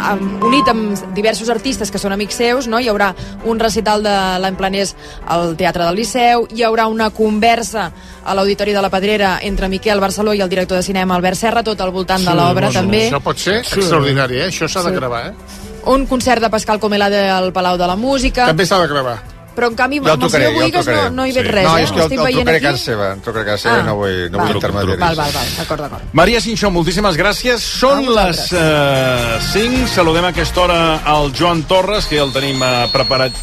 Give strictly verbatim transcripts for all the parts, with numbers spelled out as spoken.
amb, unit amb diversos artistes que són amics seus, no? Hi haurà un recital de l'any planers al Teatre del Liceu, hi haurà una conversa a l'Auditori de la Pedrera entre Miquel Barceló i el director de cinema Albert Serra, tot al voltant sí, de l'obra, també. Això pot ser sí. extraordinari, eh? Això s'ha sí. de gravar, eh? Un concert de Pascal Comelade al Palau de la Música. També s'ha de gravar. Però en canvi, amb el senyor Boigues no, no hi veig sí. res, no, eh? és que el, el trucaré a casa seva, el trucaré a casa seva ah, i no vull, no vull intermediaris. Val, val, val, d'acord, d'acord. Maria Cinxó, moltíssimes gràcies. Són les uh, cinc. Saludem a aquesta hora al Joan Torres, que ja el tenim uh, preparat.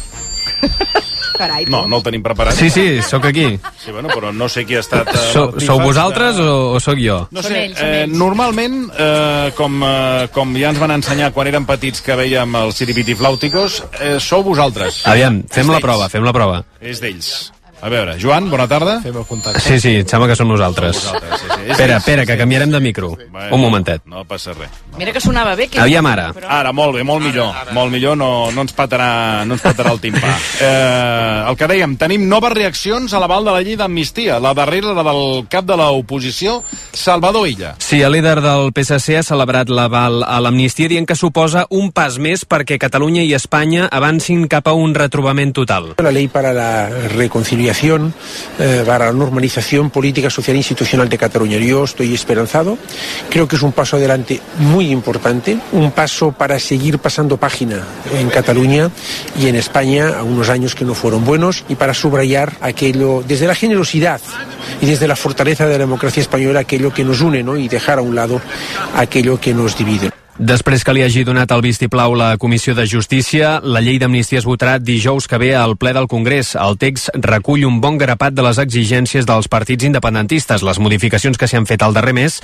Carai, no, no el tenim preparat. Sí, sí, sóc aquí. Sí, bueno, però no sé qui ha estat... Uh, so, sou vosaltres de... o, o sóc jo? No sé, ells, eh, normalment, eh, com, eh, com ja ens van ensenyar quan érem petits que veiem els Siripitiflàuticos, eh, sou vosaltres. Aviam, fem la prova, fem la prova. És d'ells. A veure, Joan, bona tarda. Fem el contacte. Sí, sí, em sembla que som nosaltres. nosaltres sí, sí. Espera, espera, que canviarem de micro. Bueno, un momentet. No passa res. No. Mira que sonava bé. Que... Aviam ara. Però... Ara, molt bé, molt millor. Ara, ara. Molt millor, no, no, ens patarà, no ens patarà el timpà. eh, el que dèiem, tenim noves reaccions a l'aval de la llei d'amnistia. La darrera, la del cap de l'oposició, Salvador Illa. Sí, el líder del P S C ha celebrat l'aval a l'amnistia dient que suposa un pas més perquè Catalunya i Espanya avancin cap a un retrobament total. La llei para la reconciliación Eh, para la normalización política, social e institucional de Cataluña. Yo estoy esperanzado, creo que es un paso adelante muy importante, un paso para seguir pasando página en Cataluña y en España a unos años que no fueron buenos y para subrayar aquello, desde la generosidad y desde la fortaleza de la democracia española, aquello que nos une, ¿no? Y dejar a un lado aquello que nos divide. Després que li hagi donat el vistiplau la Comissió de Justícia, la llei d'amnistia es votarà dijous que ve al ple del Congrés. El text recull un bon grapat de les exigències dels partits independentistes. Les modificacions que s'hi han fet al darrer mes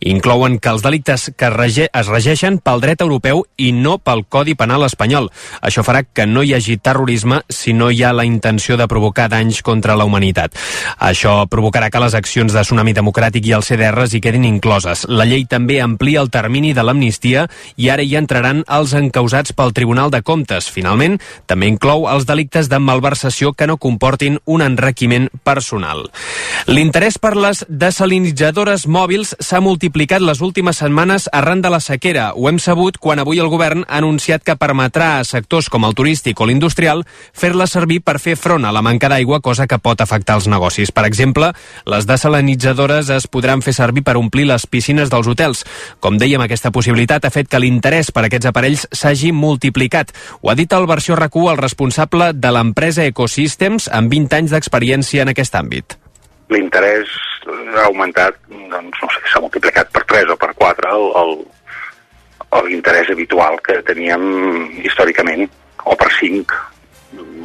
inclouen que els delictes que rege es regeixen pel dret europeu i no pel Codi Penal espanyol. Això farà que no hi hagi terrorisme si no hi ha la intenció de provocar danys contra la humanitat. Això provocarà que les accions de Tsunami Democràtic i el C D R hi quedin incloses. La llei també amplia el termini de l'amnistia i ara hi entraran els encausats pel Tribunal de Comptes. Finalment, també inclou els delictes de malversació que no comportin un enriquiment personal. L'interès per les desalinitzadores mòbils s'ha multiplicat les últimes setmanes arran de la sequera. Ho hem sabut quan avui el govern ha anunciat que permetrà a sectors com el turístic o l'industrial fer-la servir per fer front a la manca d'aigua, cosa que pot afectar els negocis. Per exemple, les desalinitzadores es podran fer servir per omplir les piscines dels hotels. Com dèiem, aquesta possibilitat ha fet que l'interès per aquests aparells s'hagi multiplicat. Ho ha dit al Versió R A C U el responsable de l'empresa Ecosystems amb vint anys d'experiència en aquest àmbit. L'interès ha augmentat, doncs, no sé, s'ha multiplicat per tres o per quatre l'interès habitual que teníem històricament, o per cinc.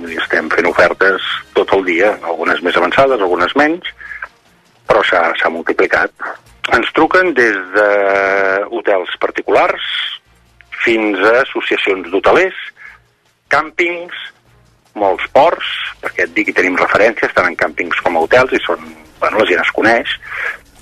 Estem fent ofertes tot el dia, algunes més avançades, algunes menys, però s'ha multiplicat. Ens truquen des de hotels particulars fins a associacions d'hotelers, càmpings, molts ports, perquè et dic que tenim referències tant en càmpings com a hotels i són, bueno, la gent es coneix.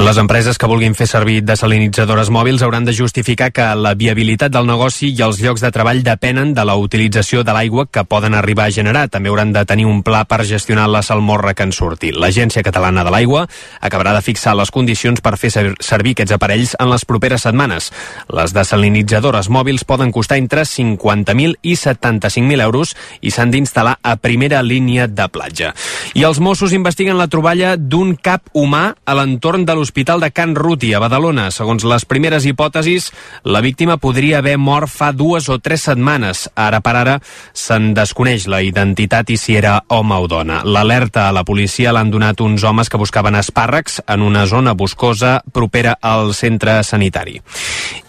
Les empreses que vulguin fer servir desalinitzadores mòbils hauran de justificar que la viabilitat del negoci i els llocs de treball depenen de la utilització de l'aigua que poden arribar a generar. També hauran de tenir un pla per gestionar la salmorra que en surti. L'Agència Catalana de l'Aigua acabarà de fixar les condicions per fer servir aquests aparells en les properes setmanes. Les desalinitzadores mòbils poden costar entre cinquanta mil i setanta-cinc mil euros i s'han d'instal·lar a primera línia de platja. I els Mossos investiguen la troballa d'un cap humà a l'entorn de l'hospital l'Hospital de Can Ruti, a Badalona. Segons les primeres hipòtesis, la víctima podria haver mort fa dues o tres setmanes. Ara per ara se'n desconeix la identitat i si era home o dona. L'alerta a la policia l'han donat uns homes que buscaven espàrrecs en una zona boscosa propera al centre sanitari.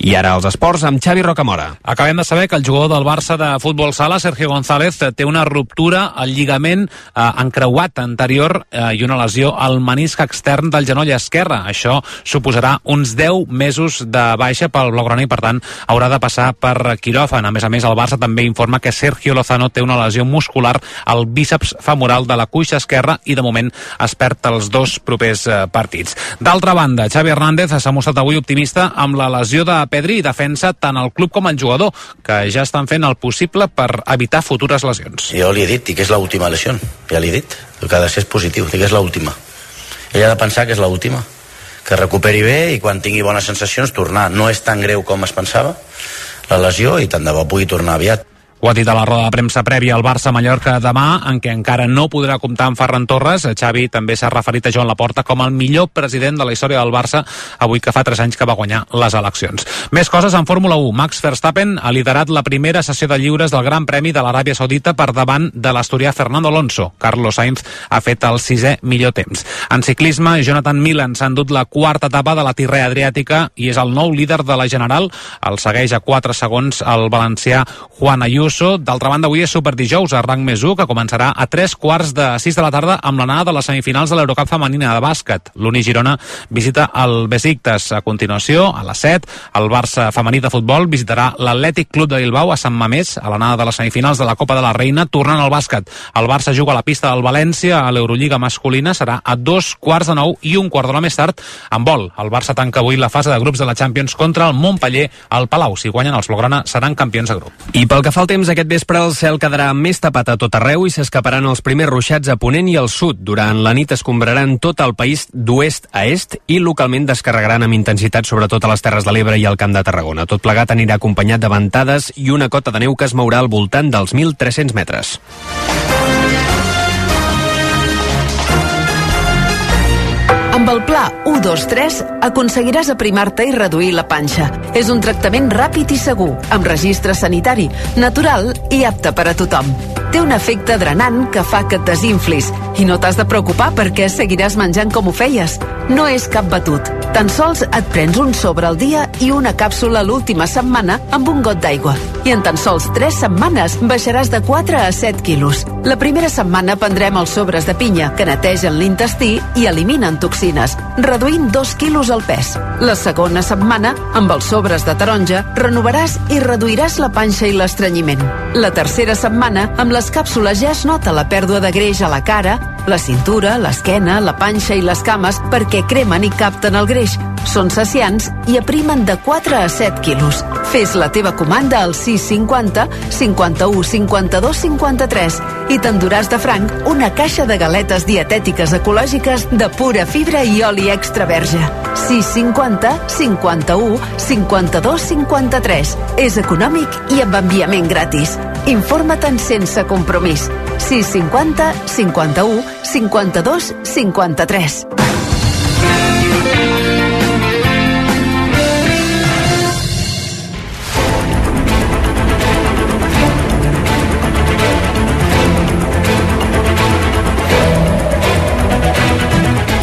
I ara els esports amb Xavi Rocamora. Acabem de saber que el jugador del Barça de futbol sala, Sergio González, té una ruptura al lligament eh, encreuat anterior eh, i una lesió al menisc extern del genoll esquerre. Això suposarà uns deu mesos de baixa pel blaugrana i, per tant, haurà de passar per quiròfan. A més a més, el Barça també informa que Sergio Lozano té una lesió muscular al bíceps femoral de la cuixa esquerra i, de moment, es perd els dos propers eh, partits. D'altra banda, Xavi Hernández s'ha mostrat avui optimista amb la lesió de Pedri i defensa tant el club com el jugador, que ja estan fent el possible per evitar futures lesions. Jo li he dit, dic que és l'última lesió, ja li he dit, el que ha de ser és positiu, dic que és l'última. Ell ha de pensar que és l'última, que recuperi bé i quan tingui bones sensacions tornar. No és tan greu com es pensava, la lesió i tant de bo pugui tornar aviat. Ho ha dit a la roda de premsa prèvia al Barça-Mallorca demà, en què encara no podrà comptar amb Ferran Torres. Xavi també s'ha referit a Joan Laporta com el millor president de la història del Barça, avui que fa tres anys que va guanyar les eleccions. Més coses en Fórmula u. Max Verstappen ha liderat la primera sessió de lliures del Gran Premi de l'Aràbia Saudita per davant de l'asturià Fernando Alonso. Carlos Sainz ha fet el sisè millor temps. En ciclisme, Jonathan Milan s'ha endut la quarta etapa de la Tirrea Adriàtica i és el nou líder de la General. El segueix a quatre segons el valencià Juan Ayuso. D'altra banda, avui és Superdijous a rang més u, que començarà a tres quarts de sis de la tarda amb l'anada de les semifinals de l'Eurocup femenina de bàsquet. L'Uni Girona visita el Besiktas. A continuació, a les set, el Barça femení de futbol visitarà l'Atlètic Club de Bilbao a Sant Mamés a l'anada de les semifinals de la Copa de la Reina, tornant al bàsquet. El Barça juga a la pista del València a l'Eurolliga masculina, serà a dos quarts de nou i un quart d'hora més tard en vol. El Barça tanca avui la fase de grups de la Champions contra el Montpeller al Palau. Si guanyen els blaugrana seran campions de grup. I pel que fa al temps, aquest vespre el cel quedarà més tapat a tot arreu i s'escaparan els primers ruixats a ponent i al sud. Durant la nit escombraran tot el país d'oest a est i localment descarregaran amb intensitat sobretot a les Terres de l'Ebre i al Camp de Tarragona. Tot plegat anirà acompanyat de ventades i una cota de neu que es mourà al voltant dels mil tres-cents metres. Amb el pla u dos tres aconseguiràs aprimar-te i reduir la panxa. És un tractament ràpid i segur, amb registre sanitari, natural i apte per a tothom. Té un efecte drenant que fa que et desinflis i no t'has de preocupar perquè seguiràs menjant com ho feies. No és cap batut. Tan sols et prens un sobre al dia i una càpsula l'última setmana amb un got d'aigua. I en tan sols tres setmanes baixaràs de quatre a set quilos. La primera setmana prendrem els sobres de pinya, que netegen l'intestí i eliminen toxines, reduint dos quilos al pes. La segona setmana, amb els sobres de taronja, renovaràs i reduiràs la panxa i l'estrenyiment. La tercera setmana, amb les càpsules ja es nota la pèrdua de greix a la cara, la cintura, l'esquena, la panxa i les cames perquè cremen i capten el greix. Són saciants i aprimen de quatre a set quilos. Fes la teva comanda al sis cinquanta cinquanta-u cinquanta-dos cinquanta-tres i t'enduràs de franc una caixa de galetes dietètiques ecològiques de pura fibra i oli extra verge. sis cinquanta cinquanta-u cinquanta-dos cinquanta-tres. És econòmic i amb enviament gratis. Informa-te'n sense compromís. sis cinquanta cinquanta-u cinquanta-dos cinquanta-tres.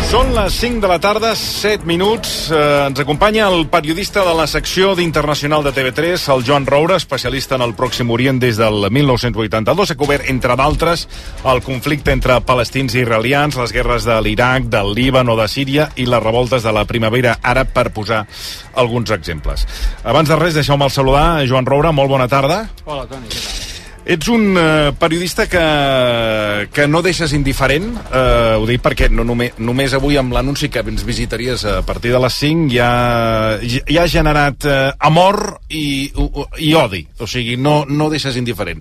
Són les cinc de la tarda, set minuts. Eh, ens acompanya el periodista de la secció d'Internacional de T V tres, el Joan Roura, especialista en el Pròxim Orient des del mil nou-cents vuitanta-dos. Ha cobert, entre d'altres, el conflicte entre palestins i israelians, les guerres de l'Iraq, del Líban o de Síria i les revoltes de la primavera àrab, per posar alguns exemples. Abans de res, deixeu-me saludar. Joan Roura, molt bona tarda. Hola, Toni, què tal? Ets un uh, periodista que, que no deixes indiferent, uh, ho dic perquè no només, només avui amb l'anunci que ens visitaries a partir de les cinc ja, ja ha generat uh, amor i, i odi, o sigui, no, no deixes indiferent.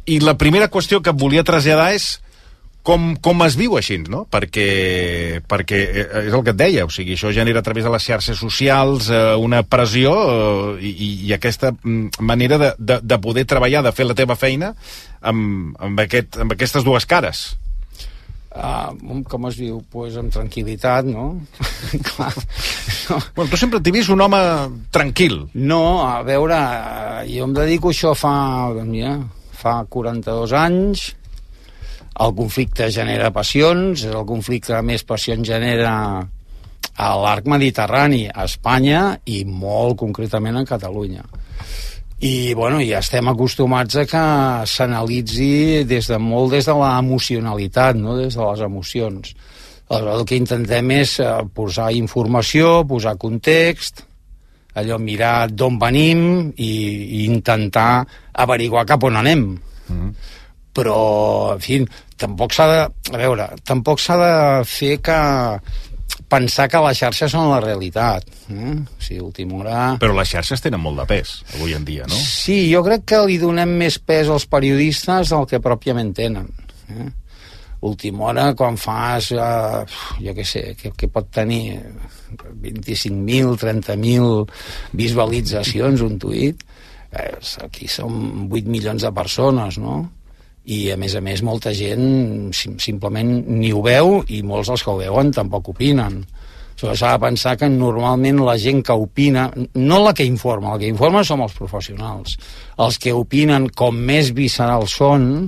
I la primera qüestió que et volia traslladar és com, com es viu així, no? Perquè, perquè és el que et deia, o sigui, això genera a través de les xarxes socials eh, una pressió eh, i, i aquesta manera de, de, de poder treballar, de fer la teva feina amb, amb, aquest, amb aquestes dues cares. Uh, com es viu? Pues amb tranquil·litat, no? Clar. No. Bueno, tu sempre t'he vist un home tranquil. No, a veure, jo em dedico a això fa, doncs mira, fa quaranta-dos anys. El conflicte genera passions, el conflicte que més passions genera a l'arc mediterrani, a Espanya i molt concretament a Catalunya. I, bueno, ja estem acostumats a que s'analitzi des de molt des de l'emocionalitat, no? Des de les emocions. Aleshores, el que intentem és posar informació, posar context, allò mirar d'on venim i, i intentar averiguar cap on anem. Mm-hmm. Però, en fi, tampoc s'ha de... A veure, tampoc s'ha de fer que... pensar que les xarxes són la realitat. Eh? O sigui, última hora... Però les xarxes tenen molt de pes, avui en dia, no? Sí, jo crec que li donem més pes als periodistes del que pròpiament tenen. Eh? Última hora, quan fas, eh, jo què sé, que, que pot tenir vint-i-cinc mil, trenta mil visualitzacions un tuit, eh, aquí som vuit milions de persones, no? I a més a més molta gent sim simplement ni ho veu, i molts dels que ho veuen tampoc opinen. S'ha de pensar que normalment la gent que opina, no la que informa, la que informa som els professionals. Els que opinen, com més viscerals són,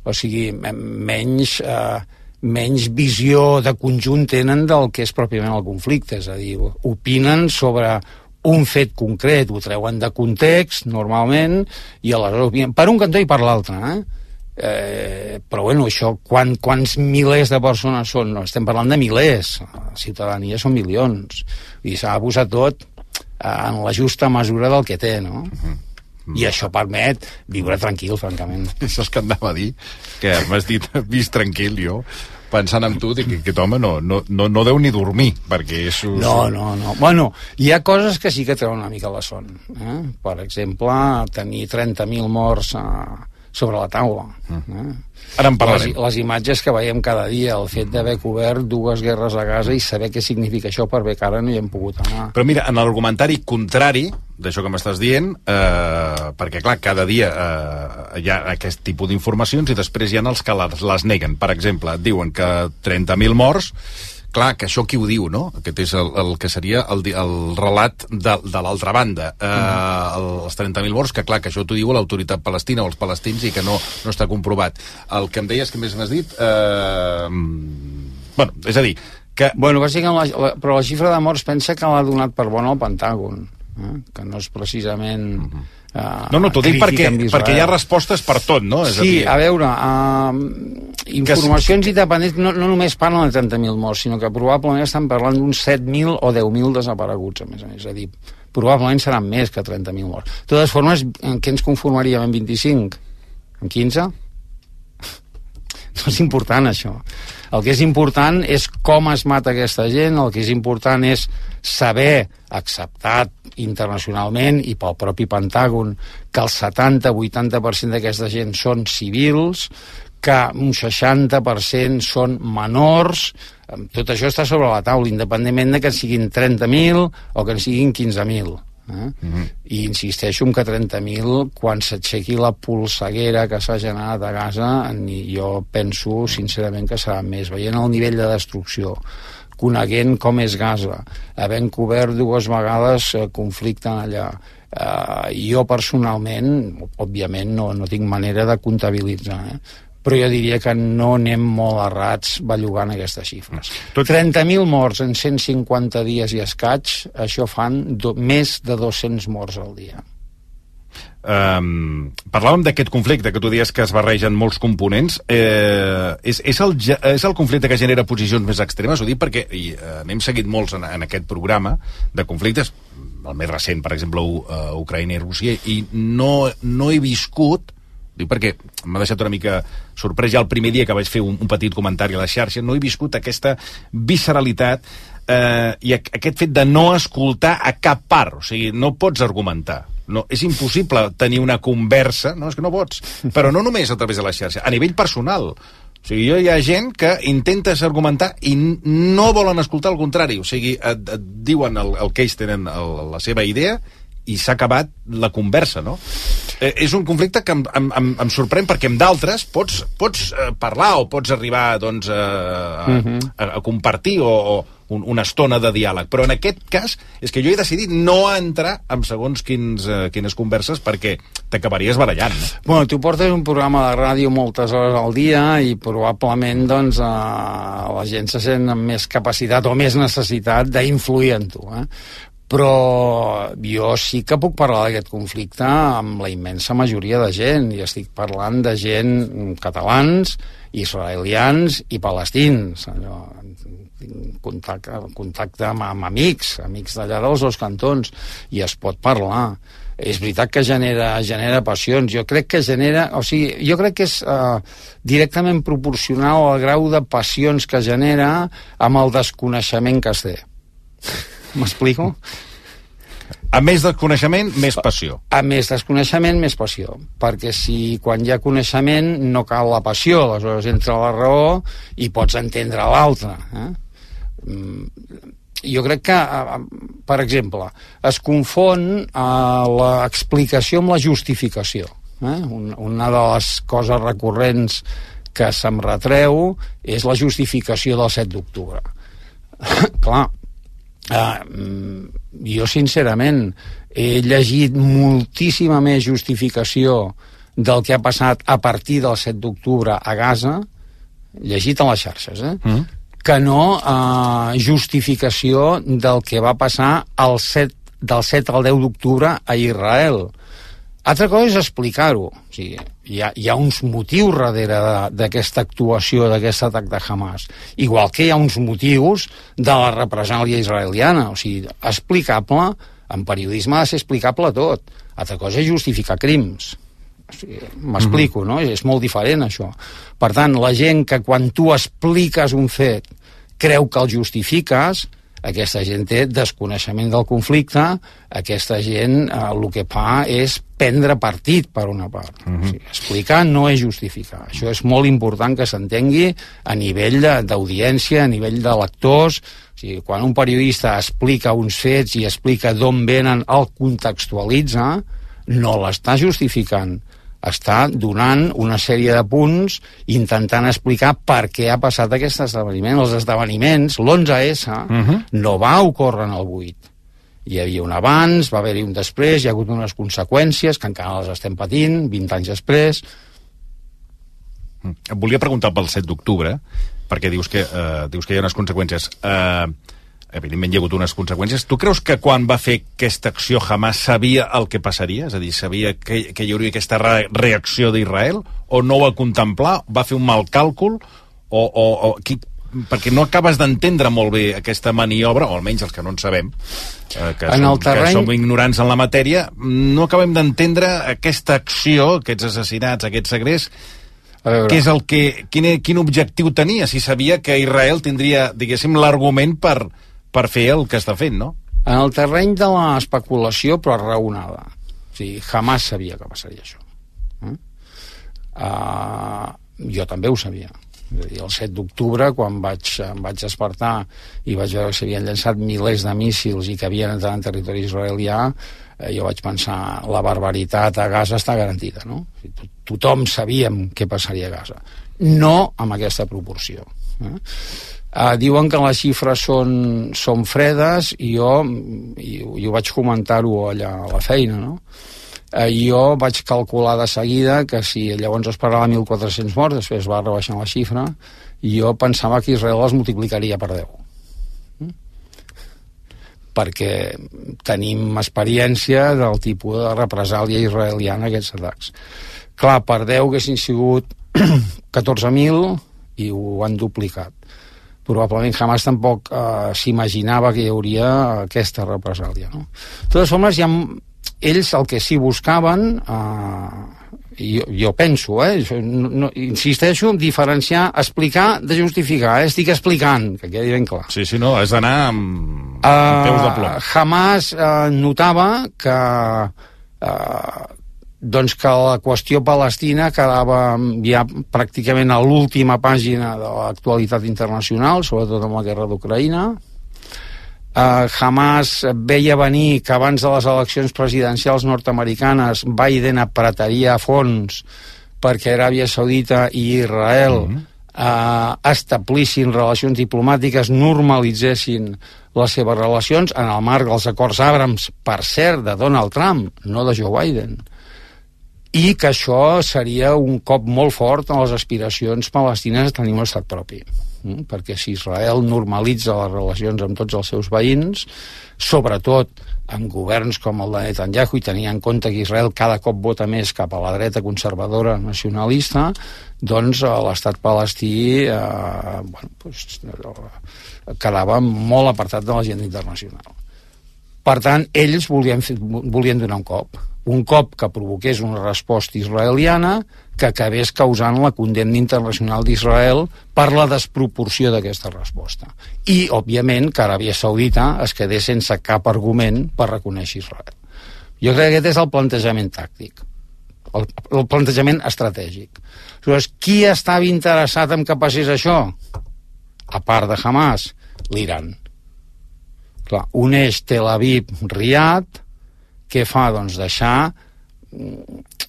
o sigui, menys, eh, menys visió de conjunt tenen del que és pròpiament el conflicte, és a dir, opinen sobre un fet concret, ho treuen de context, normalment, i aleshores opinen per un cantó i per l'altre, eh? Eh, però bueno, això quan, quants milers de persones són? No, estem parlant de milers, la ciutadania són milions, i s'ha de posar tot en la justa mesura del que té, no? Uh-huh. I això permet viure tranquil, francament. Això és que anava a dir, que m'has dit vist tranquil, jo pensant en tu, dic que aquest home no, no, no, no deu ni dormir, perquè és... No, no, no. Bueno, hi ha coses que sí que treuen una mica la son, eh? Per exemple, tenir trenta mil morts a sobre la taula. Eh? Ara en parlarem. Les, les imatges que veiem cada dia, el fet d'haver cobert dues guerres a Gaza i saber què significa això, per bé que ara no hi hem pogut anar. Però mira, en l'argumentari contrari d'això que m'estàs dient, eh, perquè clar, cada dia eh, hi ha aquest tipus d'informacions i després hi ha els que les, les neguen. Per exemple, et diuen que trenta mil morts, clar, que això qui ho diu, no? Aquest és el, el que seria el, el relat de, de l'altra banda. Eh, el, els trenta mil morts, que clar, que això t'ho diu l'autoritat palestina o els palestins i que no, no està comprovat. El que em deies, que més m'has dit... Eh, bueno, és a dir, que... Bueno, bàsicament, la, la, però la xifra de morts pensa que l'ha donat per bona el Pentàgon, eh? Que no és precisament... Uh-huh. Uh, no, no, t'ho dic perquè, perquè hi ha respostes per tot, no? És sí, a, dir... a veure, uh, informacions que... independents no, no només parlen de trenta mil morts, sinó que probablement estan parlant d'uns set mil o deu mil desapareguts, a més a més. És a dir, probablement seran més que trenta mil morts. De totes formes, en què ens conformaríem? En vint-i-cinc? En quinze? No és important, això. El que és important és com es mata aquesta gent, el que és important és saber, acceptat internacionalment i pel propi Pentàgon, que el setanta a vuitanta per cent d'aquesta gent són civils, que un seixanta per cent són menors. Tot això està sobre la taula, independentment de que en siguin trenta mil o que en siguin quinze mil. Eh? Uh-huh. I insisteixo en que trenta mil, quan s'aixequi la polseguera que s'ha generat a Gaza, jo penso sincerament que serà més, veient el nivell de destrucció, coneguent com és Gaza, havent cobert dues vegades eh, conflicte allà, eh, jo personalment, òbviament no, no tinc manera de comptabilitzar, eh? Però jo diria que no anem molt errats bellugant aquestes xifres. trenta mil morts en cent cinquanta dies i escaig, això fan do, més de dos-cents morts al dia. Um, parlàvem d'aquest conflicte que tu dius que es barregen molts components. Eh, és, és, el, és el conflicte que genera posicions més extremes? Ho dic perquè i, eh, n'hem seguit molts en, en aquest programa de conflictes, el més recent, per exemple, U, uh, Ucraïna i Rússia, i no, no he viscut, dic perquè m'ha deixat una mica sorprès ja el primer dia que vaig fer un, un petit comentari a la xarxa, no he viscut aquesta visceralitat eh, i aquest fet de no escoltar a cap part, o sigui, no pots argumentar. No, és impossible tenir una conversa, no, és que no pots, però no només a través de la xarxa, a nivell personal. O sigui, hi ha gent que intentes argumentar i no volen escoltar el contrari, o sigui, et, et diuen el, el que ells tenen el, la seva idea i s'ha acabat la conversa, no? Eh, és un conflicte que em, em, em sorprèn perquè amb d'altres pots, pots eh, parlar o pots arribar doncs, a, a, uh-huh. a, a compartir o, o un, una estona de diàleg, però en aquest cas és que jo he decidit no entrar en segons quins, eh, quines converses perquè t'acabaries barallant, no? Bueno, tu portes un programa de ràdio moltes hores al dia i probablement doncs, eh, la gent se sent amb més capacitat o més necessitat d'influir en tu, eh? Però jo sí que puc parlar d'aquest conflicte amb la immensa majoria de gent, i estic parlant de gent catalans, israelians i palestins. Allò, tinc contacte, contacte amb, amb amics, amics d'allà dels dos cantons, i es pot parlar. És veritat que genera, genera passions. Jo crec que genera... O sigui, jo crec que és eh, directament proporcional al grau de passions que genera amb el desconeixement que es té. M'explico? A més desconeixement, més passió. A més desconeixement, més passió. Perquè si quan hi ha coneixement no cal la passió, aleshores entra la raó i pots entendre l'altre. Eh? jo crec que, per exemple, es confon l'explicació amb la justificació. Eh? Una de les coses recurrents que se'm retreu és la justificació del set d'octubre. Clar, eh, jo sincerament he llegit moltíssima més justificació del que ha passat a partir del set d'octubre a Gaza, llegit a les xarxes, eh? Mm. que no eh, justificació del que va passar el set, del set al deu d'octubre a Israel. Altra cosa és explicar-ho. O sigui, hi, ha, hi ha uns motius darrere d'aquesta actuació, d'aquest atac de Hamas. Igual que hi ha uns motius de la represàlia israeliana. O sigui, explicable, en periodisme ha de ser explicable tot. Altra cosa és justificar crims. O sigui, m'explico, no? És molt diferent, això. Per tant, la gent que quan tu expliques un fet creu que el justifiques, aquesta gent té desconeixement del conflicte, aquesta gent eh, el que fa és prendre partit per una part. Uh-huh. O sigui, explicar no és justificar. Això és molt important que s'entengui a nivell d'audiència, a nivell de lectors. O sigui, quan un periodista explica uns fets i explica d'on venen, el contextualitza, no l'està justificant. Està donant una sèrie de punts intentant explicar per què ha passat aquest esdeveniment. Els esdeveniments, l'onze esse, uh-huh. no va ocórrer en el vuit. Hi havia un abans, va haver-hi un després, hi ha hagut unes conseqüències que encara les estem patint, vint anys després. Et volia preguntar pel set d'octubre, perquè dius que, uh, dius que hi ha unes conseqüències. Uh, evidentment hi ha hagut unes conseqüències. Tu creus que quan va fer aquesta acció Hamas sabia el que passaria? És a dir, sabia que, que hi hauria aquesta re reacció d'Israel? O no ho va contemplar? Va fer un mal càlcul? O, o, o qui, perquè no acabes d'entendre molt bé aquesta maniobra, o almenys els que no en sabem, eh, que, en som, terreny... que som ignorants en la matèria, no acabem d'entendre aquesta acció, aquests assassinats, aquests segrests, què és el que, quin, quin objectiu tenia? Si sabia que Israel tindria, diguéssim, l'argument per per fer el que està fent, no? En el terreny de l'especulació, però raonada. O sigui, Hamas sabia que passaria això. Eh? Uh, jo també ho sabia. És a dir, el set d'octubre, quan vaig, em vaig despertar i vaig veure que s'havien llançat milers de míssils i que havien entrat en territori israelià, eh, jo vaig pensar, la barbaritat a Gaza està garantida, no? O sigui, tothom sabíem què passaria a Gaza. No amb aquesta proporció. Eh? Uh, diuen que les xifres són, són fredes i jo, i, i ho vaig comentar-ho allà a la feina, no? Uh, jo vaig calcular de seguida que si llavors es parlava de mil quatre-cents morts, després va rebaixar la xifra, i jo pensava que Israel les multiplicaria per deu. Mm? Perquè tenim experiència del tipus de represàlia israeliana a aquests atacs. Clar, per deu haguessin sigut catorze mil i ho han duplicat. Probablement Hamas tampoc eh, s'imaginava que hi hauria aquesta represàlia, no? De totes formes, ja, ells el que sí buscaven, eh, jo, jo penso, eh, no, no, insisteixo, diferenciar, explicar de justificar, eh? Estic explicant, que quedi ben clar. Sí, sí, no, has d'anar amb, amb uh, peus de plom. Hamas eh, notava que eh, doncs que la qüestió palestina quedava ja pràcticament a l'última pàgina de l'actualitat internacional, sobretot amb la guerra d'Ucraïna. Uh, Hamas veia venir que abans de les eleccions presidencials nord-americanes Biden apretaria a fons perquè Aràbia Saudita i Israel mm-hmm. uh, establissin relacions diplomàtiques, normalitzessin les seves relacions en el marc dels acords Abrams, per cert, de Donald Trump, no de Joe Biden. I que això seria un cop molt fort en les aspiracions palestines de tenir un estat propi. Mm? Perquè si Israel normalitza les relacions amb tots els seus veïns, sobretot amb governs com el de Netanyahu, i tenint en compte que Israel cada cop vota més cap a la dreta conservadora nacionalista, doncs l'estat palestí eh, bueno, pues, quedava molt apartat de l'agenda internacional. Per tant, ells volien, volien donar un cop. Un cop que provoqués una resposta israeliana que acabés causant la condemna internacional d'Israel per la desproporció d'aquesta resposta. I, òbviament, que Aràbia Saudita es quedés sense cap argument per reconèixer Israel. Jo crec que aquest és el plantejament tàctic, el, el plantejament estratègic. Llavors, qui estava interessat en que passés això? A part de Hamas, l'Iran. Clar, uneix Tel Aviv-Riad, què fa? Doncs deixar,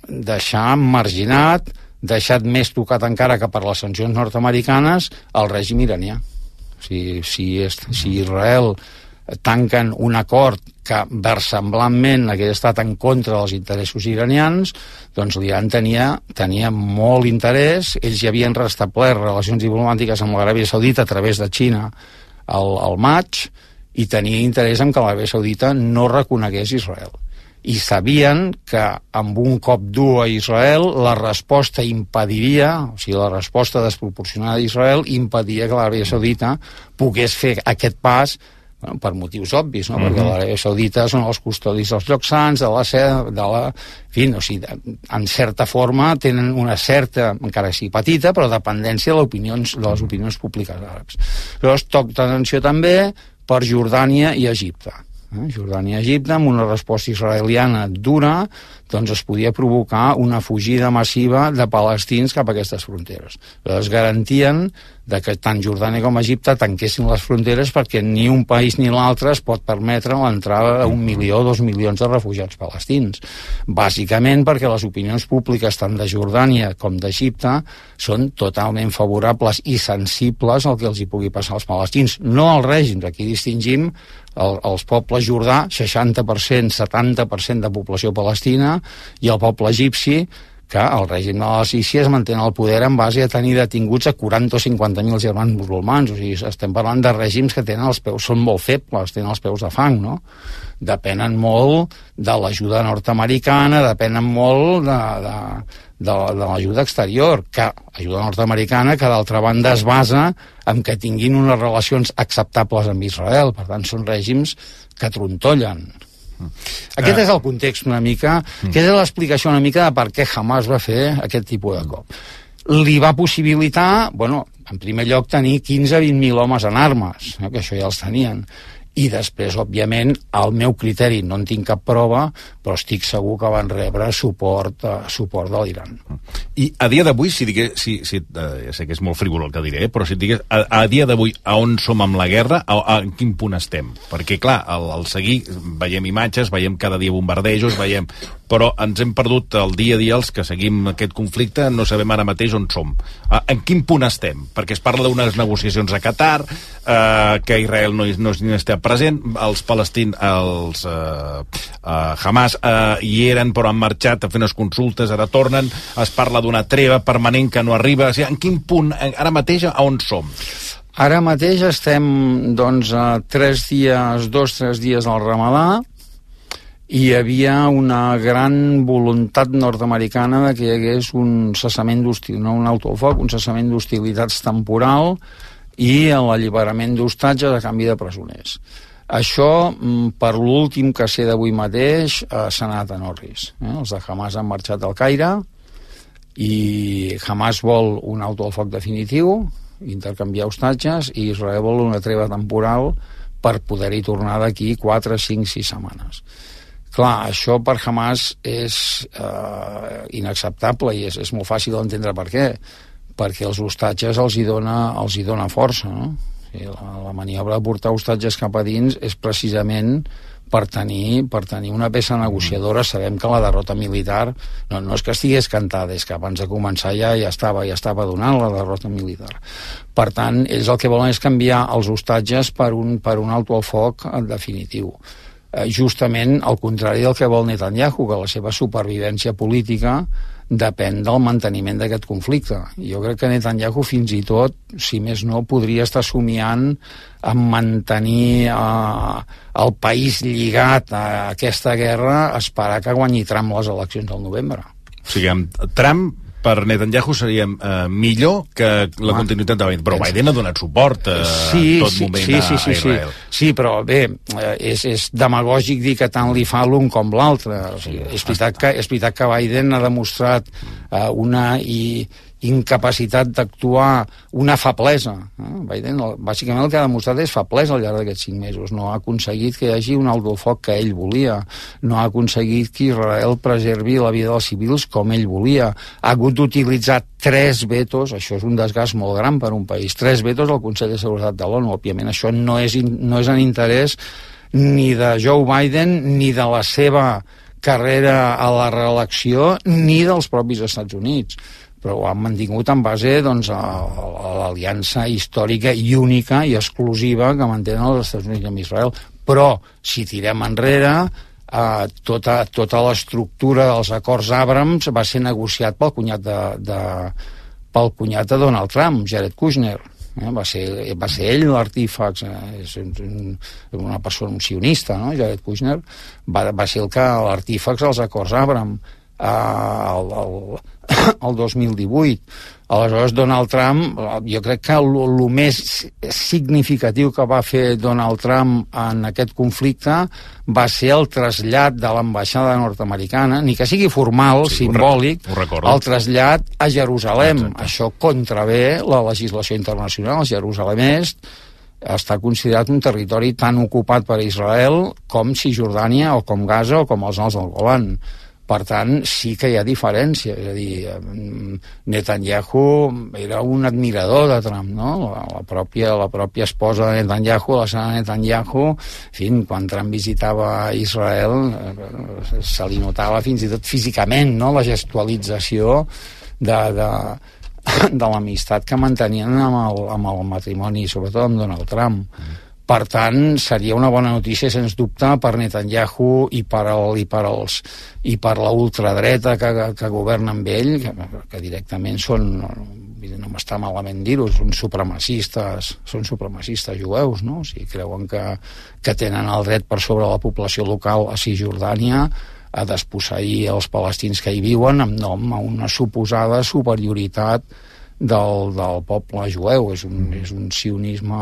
deixar marginat, deixat més tocat encara que per les sancions nord-americanes el règim iranià. O sigui, si, si Israel tanquen un acord que versemblantment hagués estat en contra dels interessos iranians, doncs l'Iran tenia, tenia molt interès. Ells ja havien restablert relacions diplomàtiques amb l'Aràbia Saudita a través de Xina al, al maig, i tenia interès en que l'Aràbia Saudita no reconegués Israel. I sabien que amb un cop dur a Israel la resposta impediria, o sigui, la resposta desproporcionada d'Israel impediria que l'Aràbia Saudita pogués fer aquest pas, bueno, per motius obvis, no? Mm-hmm. Perquè l'Aràbia Saudita són els custodis dels llocs sants, de la seda, de la... En fi, o sigui, en certa forma tenen una certa, encara que sigui petita, però dependència de les opinions, de les opinions públiques àrabs. Llavors, toc d'atenció també per Jordània i Egipte. Eh? Jordània i Egipte, amb una resposta israeliana dura, doncs es podia provocar una fugida massiva de palestins cap a aquestes fronteres. Llavors garantien de que tant Jordània com Egipte tanquessin les fronteres perquè ni un país ni l'altre es pot permetre l'entrada d'un milió o dos milions de refugiats palestins. Bàsicament perquè les opinions públiques tant de Jordània com d'Egipte són totalment favorables i sensibles al que els hi pugui passar als palestins. No als règims, aquí distingim el, els pobles jordà, seixanta per cent, setanta per cent de població palestina, i el poble egipci, que el règim de la Sícia es manté al poder en base a tenir detinguts a quaranta o cinquanta mil germans musulmans. O sigui, estem parlant de règims que tenen els peus, són molt febles, tenen els peus de fang, no? Depenen molt de l'ajuda nord-americana, depenen molt de, de, de, de l'ajuda exterior, que ajuda nord-americana que d'altra banda es basa en que tinguin unes relacions acceptables amb Israel. Per tant, són règims que trontollen. Aquest és el context una mica, aquesta és l'explicació una mica de per què Hamas va fer aquest tipus de cop. Li va possibilitar, bueno, en primer lloc tenir quinze a vint mil homes en armes, eh, que això ja els tenien, i després, òbviament, al meu criteri no en tinc cap prova, però estic segur que van rebre suport, uh, suport de l'Iran. I a dia d'avui, si digués, si, si, uh, ja sé que és molt frívol el que diré, però si et digués, a, a dia d'avui, a on som amb la guerra, a, a quin punt estem? Perquè, clar, al, al seguir, veiem imatges, veiem cada dia bombardejos, veiem... però ens hem perdut el dia a dia els que seguim aquest conflicte, no sabem ara mateix on som. Uh, en quin punt estem? Perquè es parla d'unes negociacions a Qatar, uh, que Israel no, no, no està present, els palestins, els uh, uh, Hamas uh, hi eren però han marxat a fer unes consultes, ara tornen, es parla d'una treva permanent que no arriba. O sigui, en quin punt, ara mateix, a on som? Ara mateix estem, doncs, a tres dies, dos, tres dies al Ramadà, i hi havia una gran voluntat nord-americana de que hi hagués un cessament d'hostil, no un autofoc, un cessament d'hostilitats temporal i l'alliberament d'hostatges a canvi de presoners. Això, per l'últim que sé d'avui mateix, s'ha anat a Norris. Eh? Els de Hamas han marxat al Caire i Hamas vol un alto al foc definitiu, intercanviar hostatges, i Israel vol una treva temporal per poder-hi tornar d'aquí quatre, cinc, sis setmanes. Clar, això per Hamas és eh, inacceptable i és, és molt fàcil d'entendre per què. Perquè els hostatges els hi dona, els hi dona força, no? I la, la maniobra de portar hostatges cap a dins és precisament per tenir, per tenir una peça negociadora. Sabem que la derrota militar no, no és que estigués cantada, és que abans de començar ja ja estava, ja estava donant la derrota militar. Per tant, ells el que volen és canviar els hostatges per un, per un alto al foc definitiu. Justament al contrari del que vol Netanyahu, que la seva supervivència política depèn del manteniment d'aquest conflicte. Jo crec que Netanyahu fins i tot, si més no, podria estar somiant en mantenir eh, el país lligat a aquesta guerra, esperar que guanyi Trump les eleccions del novembre. O sigui, amb Trump per Netanyahu seria eh, millor que la ah, continuïtat de Biden, però Biden ha donat suport eh, sí, en tot sí, moment sí, sí, a, sí, a Israel. Sí, sí, però bé, eh, és, és demagògic dir que tant li fa l'un com l'altre. O sigui, és, veritat que, és veritat que Biden ha demostrat eh, una i incapacitat d'actuar, una feblesa. Eh? Biden, bàsicament, el que ha demostrat és feblesa al llarg d'aquests cinc mesos. No ha aconseguit que hi hagi un alto foc que ell volia. No ha aconseguit que Israel preservi la vida dels civils com ell volia. Ha hagut d'utilitzar tres vetos, això és un desgast molt gran per un país, tres vetos al Consell de Seguretat de l'ONU. Òbviament, això no és, no és en interès ni de Joe Biden, ni de la seva carrera a la reelecció, ni dels propis Estats Units. Però ho han mantingut en base doncs, a, a l'aliança històrica i única i exclusiva que mantenen els Estats Units amb Israel. Però, si tirem enrere, eh, tota, tota l'estructura dels acords Abrams va ser negociat pel cunyat de, de, pel cunyat de Donald Trump, Jared Kushner. Eh, va, ser, va ser ell l'artífax, eh, és un, una persona, un sionista, no? Jared Kushner, va, va ser el que l'artífax dels acords Abrams. El, el, el dos mil divuit. Aleshores, Donald Trump, jo crec que el, el més significatiu que va fer Donald Trump en aquest conflicte va ser el trasllat de l'ambaixada nord-americana, ni que sigui formal, sí, simbòlic, el trasllat a Jerusalem. Exacte. Això contravé la legislació internacional. Jerusalem Est està considerat un territori tan ocupat per Israel com Cisjordània o com Gaza o com els Alts del Golan. Per tant, sí que hi ha diferència. És a dir, Netanyahu era un admirador de Trump, no? La, la, pròpia, la pròpia esposa de Netanyahu, la Sara Netanyahu, en fi, quan Trump visitava Israel, se li notava fins i tot físicament, no?, la gestualització de, de, de l'amistat que mantenien amb el, amb el matrimoni, sobretot amb Donald Trump. Per tant, seria una bona notícia, sens dubte, per Netanyahu i per, el, i per, els, i per la ultradreta que, que governa amb ell, que, que directament són, no m'està malament dir-ho, són supremacistes, són supremacistes jueus, no? O sigui, creuen que, que tenen el dret per sobre la població local a Cisjordània a desposseir els palestins que hi viuen en nom a una suposada superioritat Del, del poble jueu. És un, és un sionisme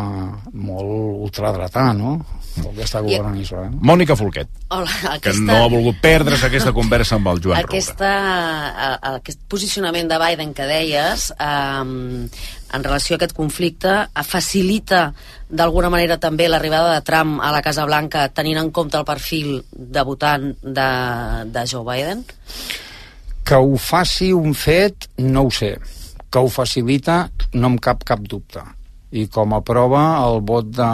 molt ultradretà, no?, el que està governant I... Israel. Mònica Folquet, Hola, aquesta... que no ha volgut perdre's aquesta conversa amb el Joan aquesta, Roura. Aquest posicionament de Biden que deies, eh, en relació a aquest conflicte, facilita d'alguna manera també l'arribada de Trump a la Casa Blanca, tenint en compte el perfil de votant de, de Joe Biden? Que ho faci un fet, no ho sé. Que ho facilita, no em cap cap dubte. I com a prova, el vot de,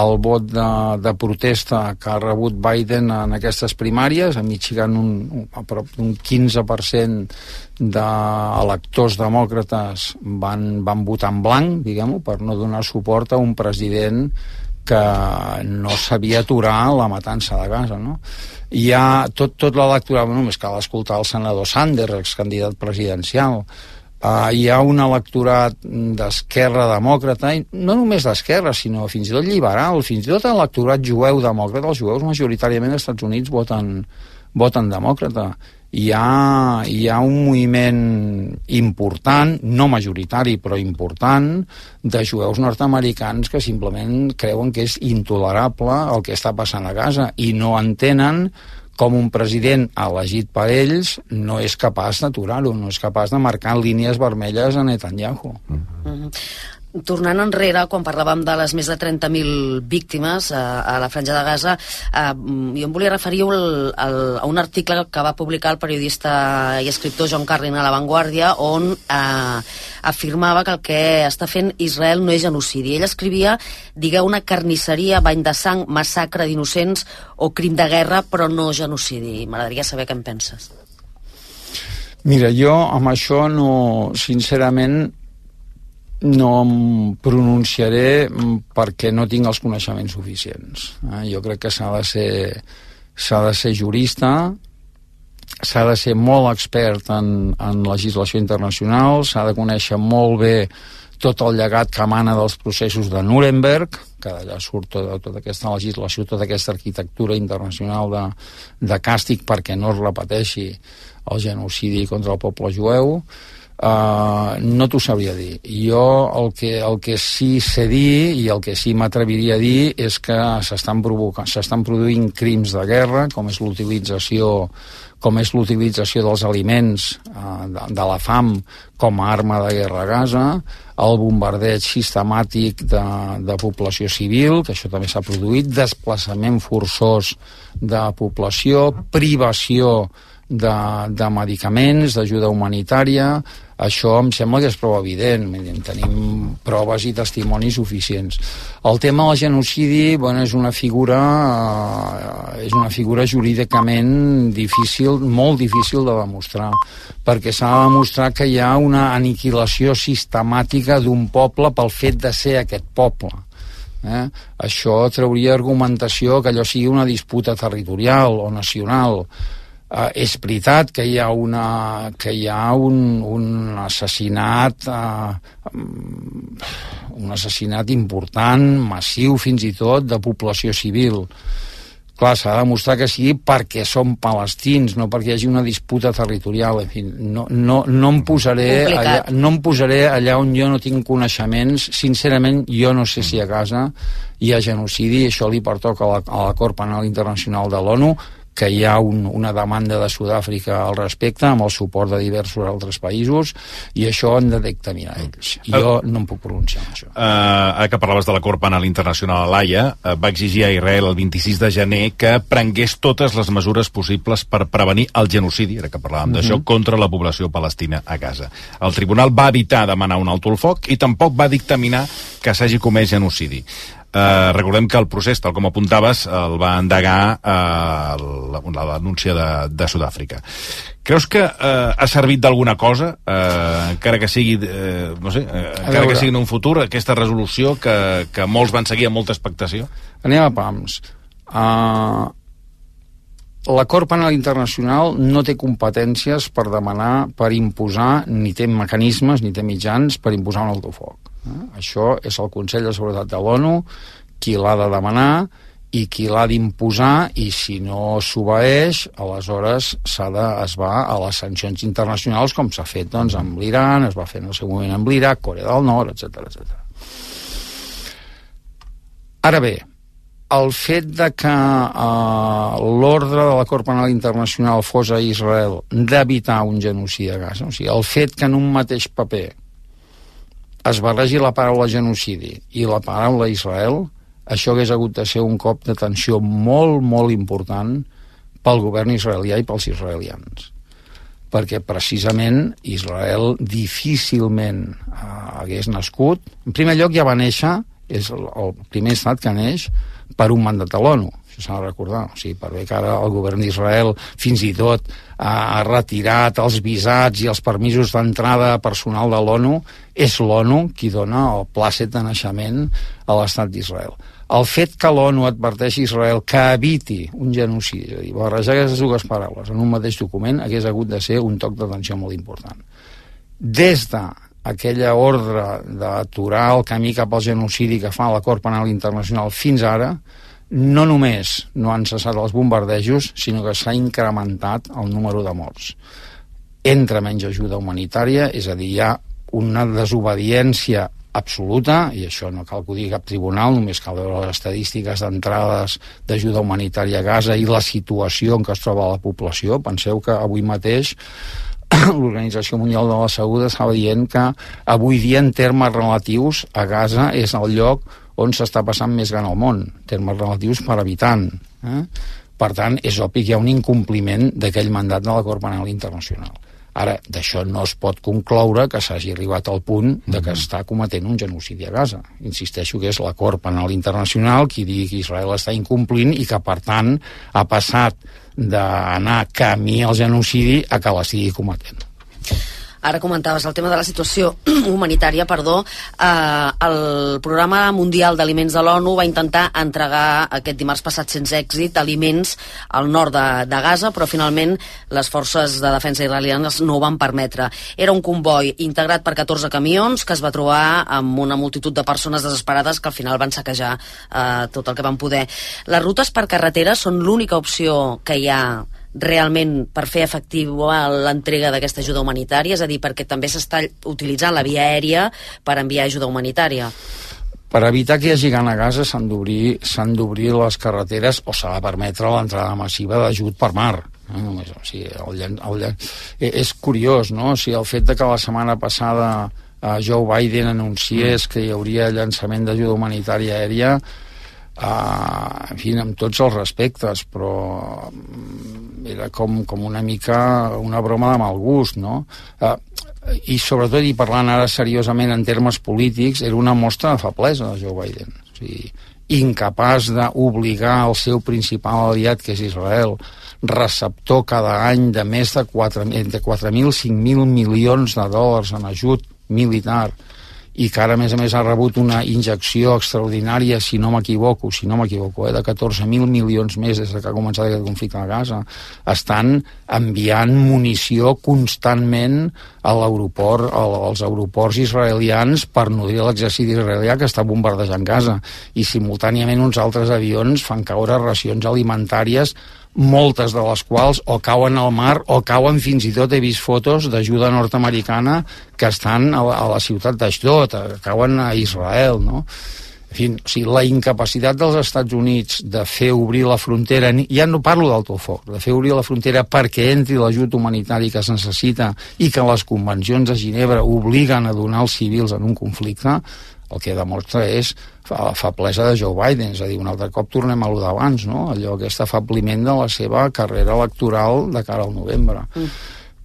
el vot de, de protesta que ha rebut Biden en aquestes primàries, a Michigan un, un, a prop d'un quinze per cent d'electors demòcrates van, van votar en blanc, diguem-ho, per no donar suport a un president que no sabia aturar la matança de Gaza, no? Hi ha tot, tot l'electorat, només cal escoltar el senador Sanders, excandidat presidencial. Uh, hi ha un electorat d'esquerra demòcrata, i no només d'esquerra, sinó fins i tot liberal, fins i tot l'electorat jueu demòcrata. Els jueus majoritàriament als Estats Units voten, voten demòcrata. Hi ha, hi ha un moviment important, no majoritari, però important, de jueus nord-americans que simplement creuen que és intolerable el que està passant a Gaza i no entenen com un president elegit per ells no és capaç d'aturar-ho, no és capaç de marcar línies vermelles a Netanyahu. Mm-hmm. Tornant enrere, quan parlàvem de les més de trenta mil víctimes a, a la Franja de Gaza, eh, jo em volia referir al, al, a un article que va publicar el periodista i escriptor John Carlin a La Vanguardia, on eh, afirmava que el que està fent Israel no és genocidi. Ell escrivia, digueu, una carnisseria, bany de sang, massacre d'innocents o crim de guerra, però no genocidi. M'agradaria saber què en penses. Mira, jo amb això no, sincerament, no em pronunciaré perquè no tinc els coneixements suficients. Eh? Jo crec que s'ha de ser s'ha de ser jurista, s'ha de ser molt expert en, en legislació internacional, s'ha de conèixer molt bé tot el llegat que emana dels processos de Nuremberg, que d'allà surt tota, tota aquesta legislació, tota aquesta arquitectura internacional de, de càstig perquè no es repeteixi el genocidi contra el poble jueu. Uh, no t'ho sabria dir. Jo el que, el que sí sé dir i el que sí m'atreviria a dir és que s'estan provocant, s'estan produint crims de guerra, com és l'utilització com és l'utilització dels aliments de, de la fam com a arma de guerra a Gaza, el bombardeig sistemàtic de, de població civil, que això també s'ha produït, desplaçament forçós de població, privació de, de medicaments, d'ajuda humanitària. Això em sembla que és prou evident, tenim proves i testimonis suficients. El tema del genocidi, bueno, és una figura eh, és una figura jurídicament difícil, molt difícil de demostrar, perquè s'ha de demostrar que hi ha una aniquilació sistemàtica d'un poble pel fet de ser aquest poble. Eh? Això trauria argumentació que allò sigui una disputa territorial o nacional. Uh, és veritat que hi ha, una, que hi ha un, un assassinat uh, un assassinat important, massiu fins i tot, de població civil. Clar, s'ha de demostrar que sigui perquè són palestins, no perquè hi hagi una disputa territorial. En fi, no, no, no, em posaré allà, no em posaré allà on jo no tinc coneixements. Sincerament, jo no sé si a Gaza hi ha genocidi, això li pertoca a la, a la Cort Penal Internacional de l'ONU, que hi ha un, una demanda de Sud-àfrica al respecte, amb el suport de diversos altres països, i això han de dictaminar ells. I jo no em puc pronunciar en això. Uh, ara que parlaves de la Cort Penal Internacional a l'Haia, uh, va exigir a Israel el vint-i-sis de gener que prengués totes les mesures possibles per prevenir el genocidi, ara que parlàvem uh-huh. d'això, contra la població palestina a Gaza. El tribunal va evitar demanar un alto el foc i tampoc va dictaminar que s'hagi comès genocidi. Uh, recordem que el procés, tal com apuntaves, el va endegar uh, la, la denúncia de, de Sud-àfrica. Creus que uh, ha servit d'alguna cosa, uh, encara que sigui uh, no sé, uh, encara que sigui en un futur, aquesta resolució que, que molts van seguir amb molta expectació? Anem a pams. Uh, la Cort Penal Internacional no té competències per demanar, per imposar, ni té mecanismes, ni té mitjans per imposar un alto foc. Això és el Consell de Seguretat de l'ONU qui l'ha de demanar i qui l'ha d'imposar, i si no s'obeeix, aleshores s'ha de, es va a les sancions internacionals, com s'ha fet doncs, amb l'Iran, es va fer en el seu moment amb l'Iraq, Corea del Nord, etcètera, etcètera. Ara bé, el fet de que eh, l'ordre de la Cort Penal Internacional fos a Israel d'evitar un genocidi a Gaza, o sigui, el fet que en un mateix paper es barregi la paraula genocidi i la paraula Israel, això hagués hagut de ser un cop d'atenció molt, molt important pel govern israelià i pels israelians. Perquè precisament Israel difícilment eh, hagués nascut. En primer lloc ja va néixer, és el, el primer estat que neix per un mandat de l'ONU, això s'ha de recordar. O sigui, per bé que ara el govern d'Israel fins i tot ha retirat els visats i els permisos d'entrada personal de l'ONU, és l'ONU qui dona el plàcet de naixement a l'estat d'Israel. El fet que l'ONU adverteixi a Israel que eviti un genocidi, és a dir, barrejar aquestes dues paraules en un mateix document, hagués hagut de ser un toc d'atenció molt important. Des de aquella ordre d'aturar el camí cap al genocidi que fa la Cort Penal Internacional fins ara, no només no han cessat els bombardejos, sinó que s'ha incrementat el número de morts. Entra menys ajuda humanitària, és a dir, hi ha una desobediència absoluta, i això no cal que ho digui cap tribunal, només cal veure les estadístiques d'entrades d'ajuda humanitària a Gaza i la situació en què es troba la població. Penseu que avui mateix l'Organització Mundial de la Salut estava dient que avui dia, en termes relatius, a Gaza és el lloc on s'està passant més gran al món, en termes relatius per habitant. Eh? Per tant, és obvi que hi ha un incompliment d'aquell mandat de la Cort Penal Internacional. Ara, d'això no es pot concloure que s'hagi arribat al punt de que està cometent un genocidi a Gaza. Insisteixo que és la Cort Penal Internacional qui digui que Israel està incomplint i que, per tant, ha passat d'anar camí al genocidi a que l'estigui cometent. Ara comentaves el tema de la situació humanitària, perdó. Eh, el Programa Mundial d'Aliments de l'ONU va intentar entregar aquest dimarts passat sense èxit aliments al nord de, de Gaza, però finalment les forces de defensa israelianes no ho van permetre. Era un comboi integrat per catorze camions que es va trobar amb una multitud de persones desesperades que al final van saquejar eh, tot el que van poder. Les rutes per carretera són l'única opció que hi ha realment per fer efectiva l'entrega d'aquesta ajuda humanitària, és a dir, perquè també s'està utilitzant la via aèria per enviar ajuda humanitària. Per evitar que hi hagi gana a Gaza s'han d'obrir s'han d'obrir les carreteres, o s'ha de permetre l'entrada massiva d'ajut per mar. Eh? Només, o sigui, el, el, el, és curiós, no? O sigui, el fet de que la setmana passada uh, Joe Biden anunciés mm. que hi hauria llançament d'ajuda humanitària aèria, uh, en fi, amb tots els respectes, però era com, com una mica una broma de mal gust, no? Uh, i sobretot, i parlant ara seriosament en termes polítics, era una mostra de feblesa de Joe Biden. O sigui, incapaç d'obligar el seu principal aliat, que és Israel, receptor cada any de més de quatre mil, cinc mil milions de dòlars en ajut militar, i que ara, a més a més, ha rebut una injecció extraordinària, si no m'equivoco, si no m'equivoco, eh, de catorze mil milions més des que ha començat aquest conflicte a Gaza. Estan enviant munició constantment a l'aeroport, als aeroports israelians per nodrir l'exèrcit israelià que està bombardejant Gaza, i simultàniament uns altres avions fan caure racions alimentàries, moltes de les quals o cauen al mar o cauen, fins i tot he vist fotos d'ajuda nord-americana que estan a la, a la ciutat d'Ashdod, cauen a Israel, no? En fi, o sigui, la incapacitat dels Estats Units de fer obrir la frontera, ja no parlo d'alto foc, de fer obrir la frontera perquè entri l'ajut humanitari que es necessita i que les convencions de Ginebra obliguen a donar als civils en un conflicte, el que demostra és la feblesa de Joe Biden. És a dir, un altre cop tornem a allò d'abans, no? Allò, aquest afabliment de la seva carrera electoral de cara al novembre. Mm.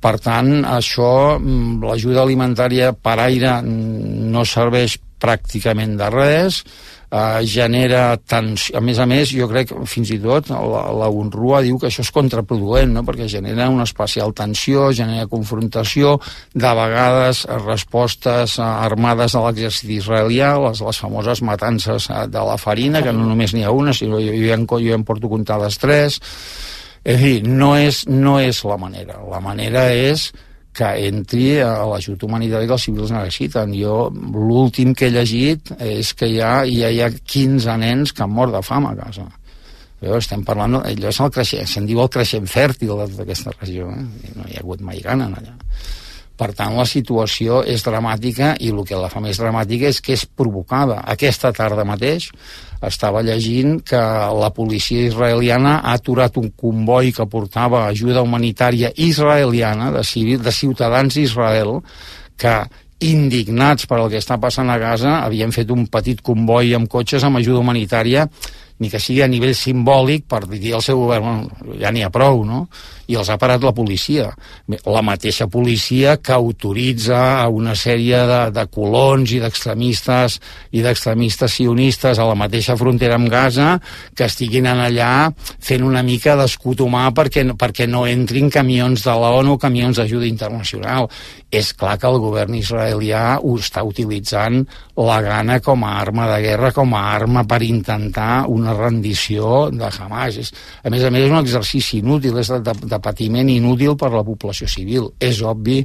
Per tant, això, l'ajuda alimentària per aire no serveix pràcticament de res, eh, genera tensió. A més a més, jo crec, fins i tot, la, la UNRWA diu que això és contraproduent, no? Perquè genera una especial tensió, genera confrontació, de vegades respostes armades a l'exèrcit israelià, les, les famoses matances de la farina, que no només n'hi ha una, sinó jo, jo, ja, en, jo ja en porto comptades tres. És a dir, no és, no és la manera. La manera és que entri a l'ajut humanitari que els civils necessiten. Jo, l'últim que he llegit és que ja, ja hi ha quinze nens que han mort de fam a casa. Però estem parlant, allò és el creixent, se'n diu el creixent fèrtil d'aquesta regió, eh? No hi ha hagut mai gana allà. Per tant, la situació és dramàtica, i el que la fa més dramàtica és que és provocada. Aquesta tarda mateix estava llegint que la policia israeliana ha aturat un comboi que portava ajuda humanitària israeliana, de, civil, de ciutadans d'Israel, que, indignats per el que està passant a Gaza, havien fet un petit comboi amb cotxes amb ajuda humanitària, ni que sigui a nivell simbòlic, per dir al seu govern, bueno, ja n'hi ha prou, no? I els ha parat la policia. La mateixa policia que autoritza a una sèrie de, de colons i d'extremistes i d'extremistes sionistes a la mateixa frontera amb Gaza que estiguin allà fent una mica d'escut humà perquè, perquè no entrin camions de l'ONU o camions d'ajuda internacional. És clar que el govern israelià ho està utilitzant la gana com a arma de guerra, com a arma per intentar una rendició de Hamas. És, a més a més, és un exercici inútil, és de, de, de patiment inútil per a la població civil. És obvi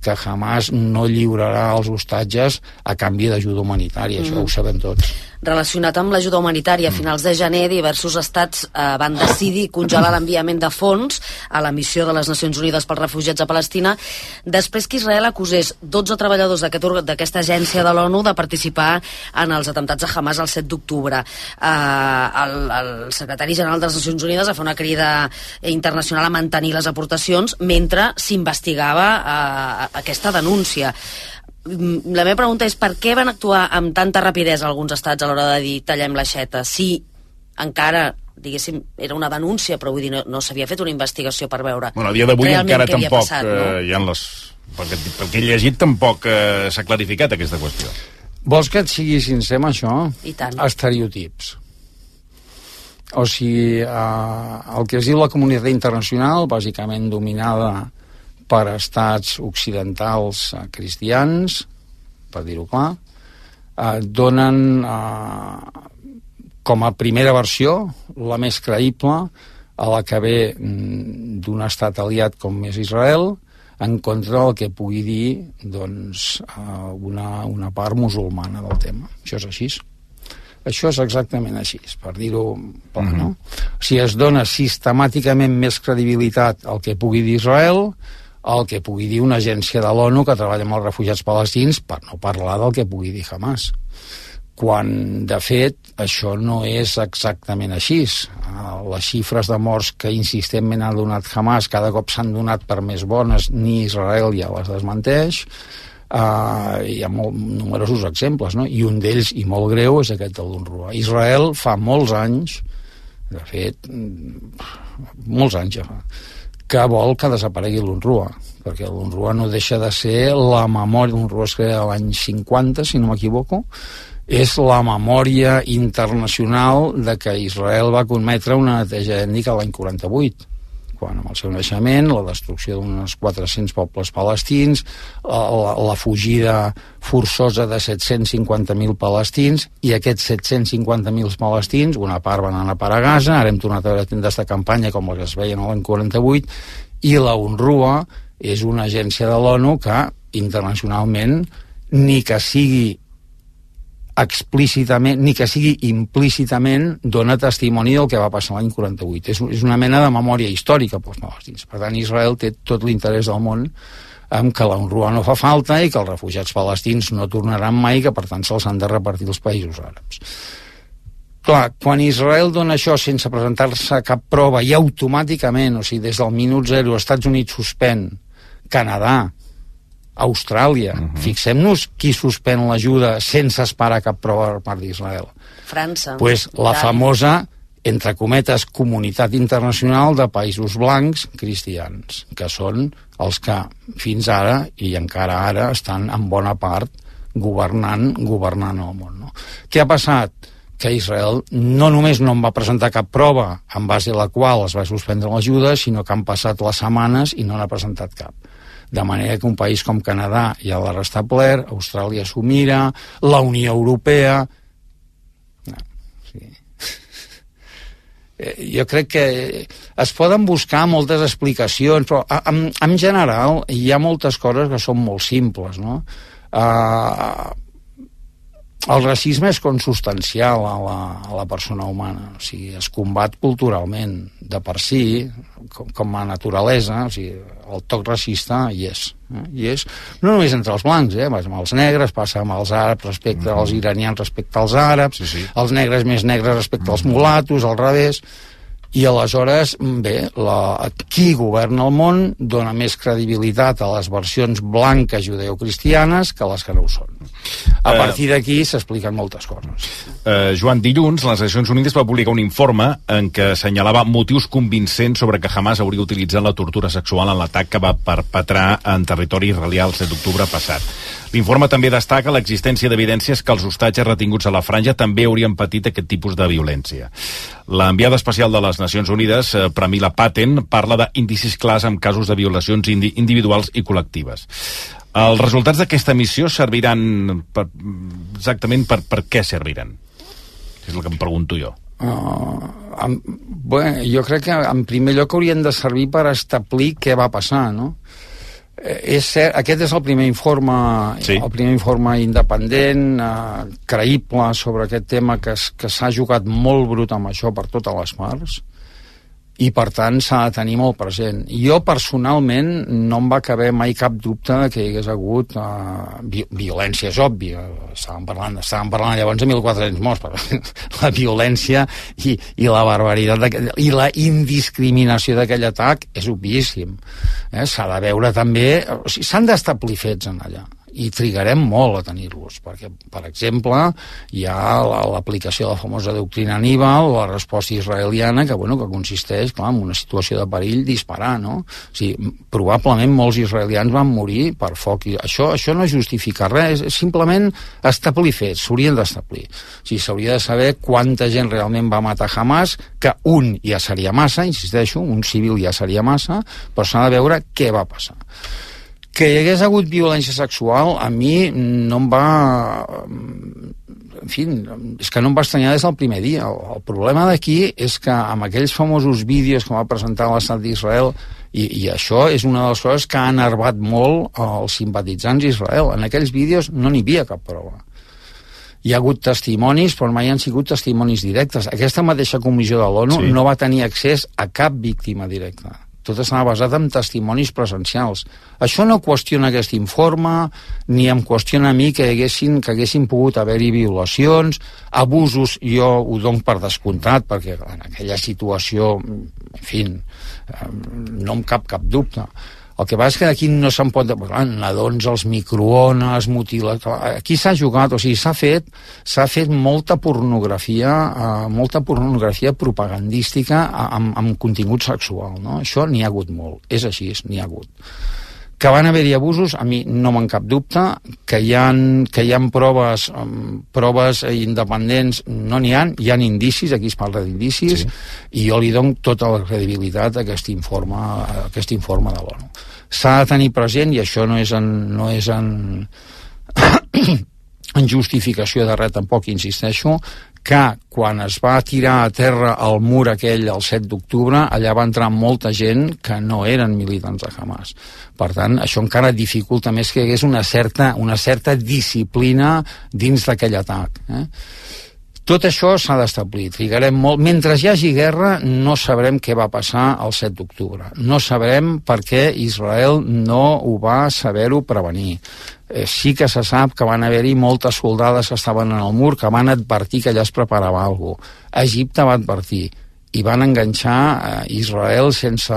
que Hamas no lliurarà els hostatges a canvi d'ajuda humanitària, mm. això ho sabem tots. Relacionat amb l'ajuda humanitària, a finals de gener diversos estats eh, van decidir congelar l'enviament de fons a la missió de les Nacions Unides pels refugiats a Palestina, després que Israel acusés dotze treballadors d'aquesta aquest agència de l'ONU de participar en els atemptats a Hamas el set d'octubre. Eh, el, el secretari general de les Nacions Unides va fer una crida internacional a mantenir les aportacions mentre s'investigava eh, aquesta denúncia. La meva pregunta és per què van actuar amb tanta rapidesa alguns estats a l'hora de dir tallem l'aixeta, si encara, diguéssim, era una denúncia, però vull dir, no, no s'havia fet una investigació per veure bueno, a dia d'avui encara tampoc passat, no? eh, hi ha les... Perquè, pel que he llegit tampoc eh, s'ha clarificat aquesta qüestió. Vols que et sigui sincer amb això? I tant. Estereotips. O sigui, eh, el que es diu la comunitat internacional, bàsicament dominada per estats occidentals eh, cristians, per dir-ho clar, eh, donen eh, com a primera versió, la més creïble, a la que ve d'un estat aliat com és Israel, en contra del que pugui dir doncs, eh, una, una part musulmana del tema. Això és així. Això és exactament així, per dir-ho clar, no? O sigui, es dona sistemàticament més credibilitat al que pugui dir Israel, el que pugui dir una agència de l'ONU que treballa amb els refugiats palestins, per no parlar del que pugui dir Hamas. quan, de fet, això no és exactament així. Les xifres de morts que insistentment ha donat Hamas cada cop s'han donat per més bones, ni Israel ja les desmenteix. Uh, hi ha molt, numerosos exemples, no? I un d'ells, i molt greu, és aquest de l'UNRWA. Israel fa molts anys, de fet, molts anys ja fa, que vol que desaparegui l'UNRWA, perquè l'UNRWA no deixa de ser la memòria. L'UNRWA es crea l'any cinquanta, si no m'equivoco, és la memòria internacional de que Israel va cometre una neteja ètnica l'any quaranta-vuit, quan amb el seu naixement, la destrucció d'uns quatre-cents pobles palestins, la, la fugida forçosa de set-cents cinquanta mil palestins, i aquests set-cents cinquanta mil palestins, una part van anar a parar a Gaza, ara hem tornat a veure tendes de campanya com les que es veien l'any quaranta-vuit, i la UNRWA és una agència de l'ONU que internacionalment ni que sigui explícitament, ni que sigui implícitament, dona testimoni del que va passar l'any quaranta-vuit. És, és una mena de memòria històrica pels palestins. Per tant, Israel té tot l'interès del món en que la UNRWA no fa falta i que els refugiats palestins no tornaran mai, que per tant se'ls han de repartir els països àrabs. Clar, quan Israel dona això sense presentar-se cap prova i automàticament, o sigui, des del minut zero, Estats Units suspèn, Canadà, Austràlia. Uh-huh. Fixem-nos qui suspèn l'ajuda sense esperar cap prova per part d'Israel. França. Pues la famosa, entre cometes, comunitat internacional de països blancs cristians, que són els que fins ara, i encara ara, estan en bona part governant, governant el món. No? Què ha passat? Que Israel no només no en va presentar cap prova en base a la qual es va suspendre l'ajuda, sinó que han passat les setmanes i no n'ha presentat cap. De manera que un país com Canadà ja l'ha restablert, Austràlia s'ho mira, la Unió Europea... No, sí. Jo crec que es poden buscar moltes explicacions, però en, en general hi ha moltes coses que són molt simples, no? Uh, el racisme és consubstancial a la, a la persona humana, o sigui, es combat culturalment, de per si, com, com a naturalesa, o sigui, el toc racista hi és, eh? Hi és, no només entre els blancs, eh? Amb els negres, passa amb els àrabs respecte mm-hmm. als iranians respecte als àrabs, sí, sí. Els negres més negres respecte als mulatos, al revés, i aleshores, bé, la, qui governa el món dona més credibilitat a les versions blanques judeocristianes que les que no ho són. A partir d'aquí s'expliquen moltes coses. Uh, Joan, dilluns les Nacions Unides va publicar un informe en què assenyalava motius convincents sobre que Hamas hauria utilitzat la tortura sexual en l'atac que va perpetrar en territori israelià el set d'octubre passat. L'informe també destaca l'existència d'evidències que els hostatges retinguts a la franja també haurien patit aquest tipus de violència. L'enviada especial de les Nacions Unides, eh, Pramila Patten, parla d'indicis clars en casos de violacions indi individuals i col·lectives. Els resultats d'aquesta missió serviran per, exactament per, per què serviran? És el que em pregunto jo. Uh, en, bé, jo crec que en primer lloc haurien de servir per establir què va passar, no? És cert, aquest és el primer informe, sí. el primer informe independent, eh, creïble sobre aquest tema que, que s'ha jugat molt brut amb això per totes les parts i per tant s'ha de tenir molt present. Jo personalment no em va caber mai cap dubte de que hi hagués hagut uh, vi violència, és obvi, estàvem parlant, estàvem parlant llavors de mil quatre-cents morts, però la violència i, i la barbaritat i la indiscriminació d'aquell atac és obvíssim. Eh? S'ha de veure també, o sigui, s'han d'establir fets en allà i trigarem molt a tenir-los, perquè, per exemple, hi ha l'aplicació de la famosa doctrina Aníbal, la resposta israeliana, que, bueno, que consisteix, clar, en una situació de perill disparar, no? O sigui, probablement molts israelians van morir per foc, i això, això no justifica res, és simplement establir fets, s'haurien d'establir. O sigui, s'hauria de saber quanta gent realment va matar Hamas, que un ja seria massa, insisteixo, un civil ja seria massa, però s'ha de veure què va passar. Que hi hagués hagut violència sexual, a mi no em va... En fi, és que no em va estranyar des del primer dia. El, el problema d'aquí és que amb aquells famosos vídeos que va presentar l'Estat d'Israel, i, i això és una de les coses que ha enervat molt els simpatitzants d'Israel. En aquells vídeos no n'hi havia cap prova. Hi ha hagut testimonis, però mai han sigut testimonis directes. Aquesta mateixa comissió de l'ONU sí. no va tenir accés a cap víctima directa. tot estava basat en testimonis presencials. Això no qüestiona aquest informe, ni em qüestiona a mi que haguessin, que haguessin pogut haver-hi violacions, abusos, jo ho dono per descomptat, perquè en aquella situació, en fi, no em cap cap dubte. El que passa és que aquí no se'n pot... Nadons, els microones, mutilat... Aquí s'ha jugat, o sigui, s'ha fet s'ha fet molta pornografia, eh, molta pornografia propagandística amb, amb contingut sexual, no? Això n'hi ha hagut molt. És així, n'hi ha hagut. Que van haver-hi abusos, a mi no me'n cap dubte, que hi ha, que hi ha proves, um, proves independents, no n'hi ha, hi ha indicis, aquí es parla d'indicis, sí. I jo li dono tota la credibilitat a aquest informe, a aquest informe de l'ONU. S'ha de tenir present, i això no és en, no és en, en justificació de res tampoc, insisteixo, que quan es va tirar a terra el mur aquell el set d'octubre, allà va entrar molta gent que no eren militants de Hamas. Per tant, això encara dificulta més que hi hagués una certa, una certa disciplina dins d'aquell atac. Eh? Tot això s'ha d'establir. Trigarem molt. Mentre hi hagi guerra, no sabrem què va passar el set d'octubre. No sabrem per què Israel no ho va saber-ho prevenir. Eh, sí que se sap que van haver-hi moltes soldades que estaven en el mur que van advertir que allà es preparava alguna cosa. Egipte va advertir i van enganxar eh, Israel sense,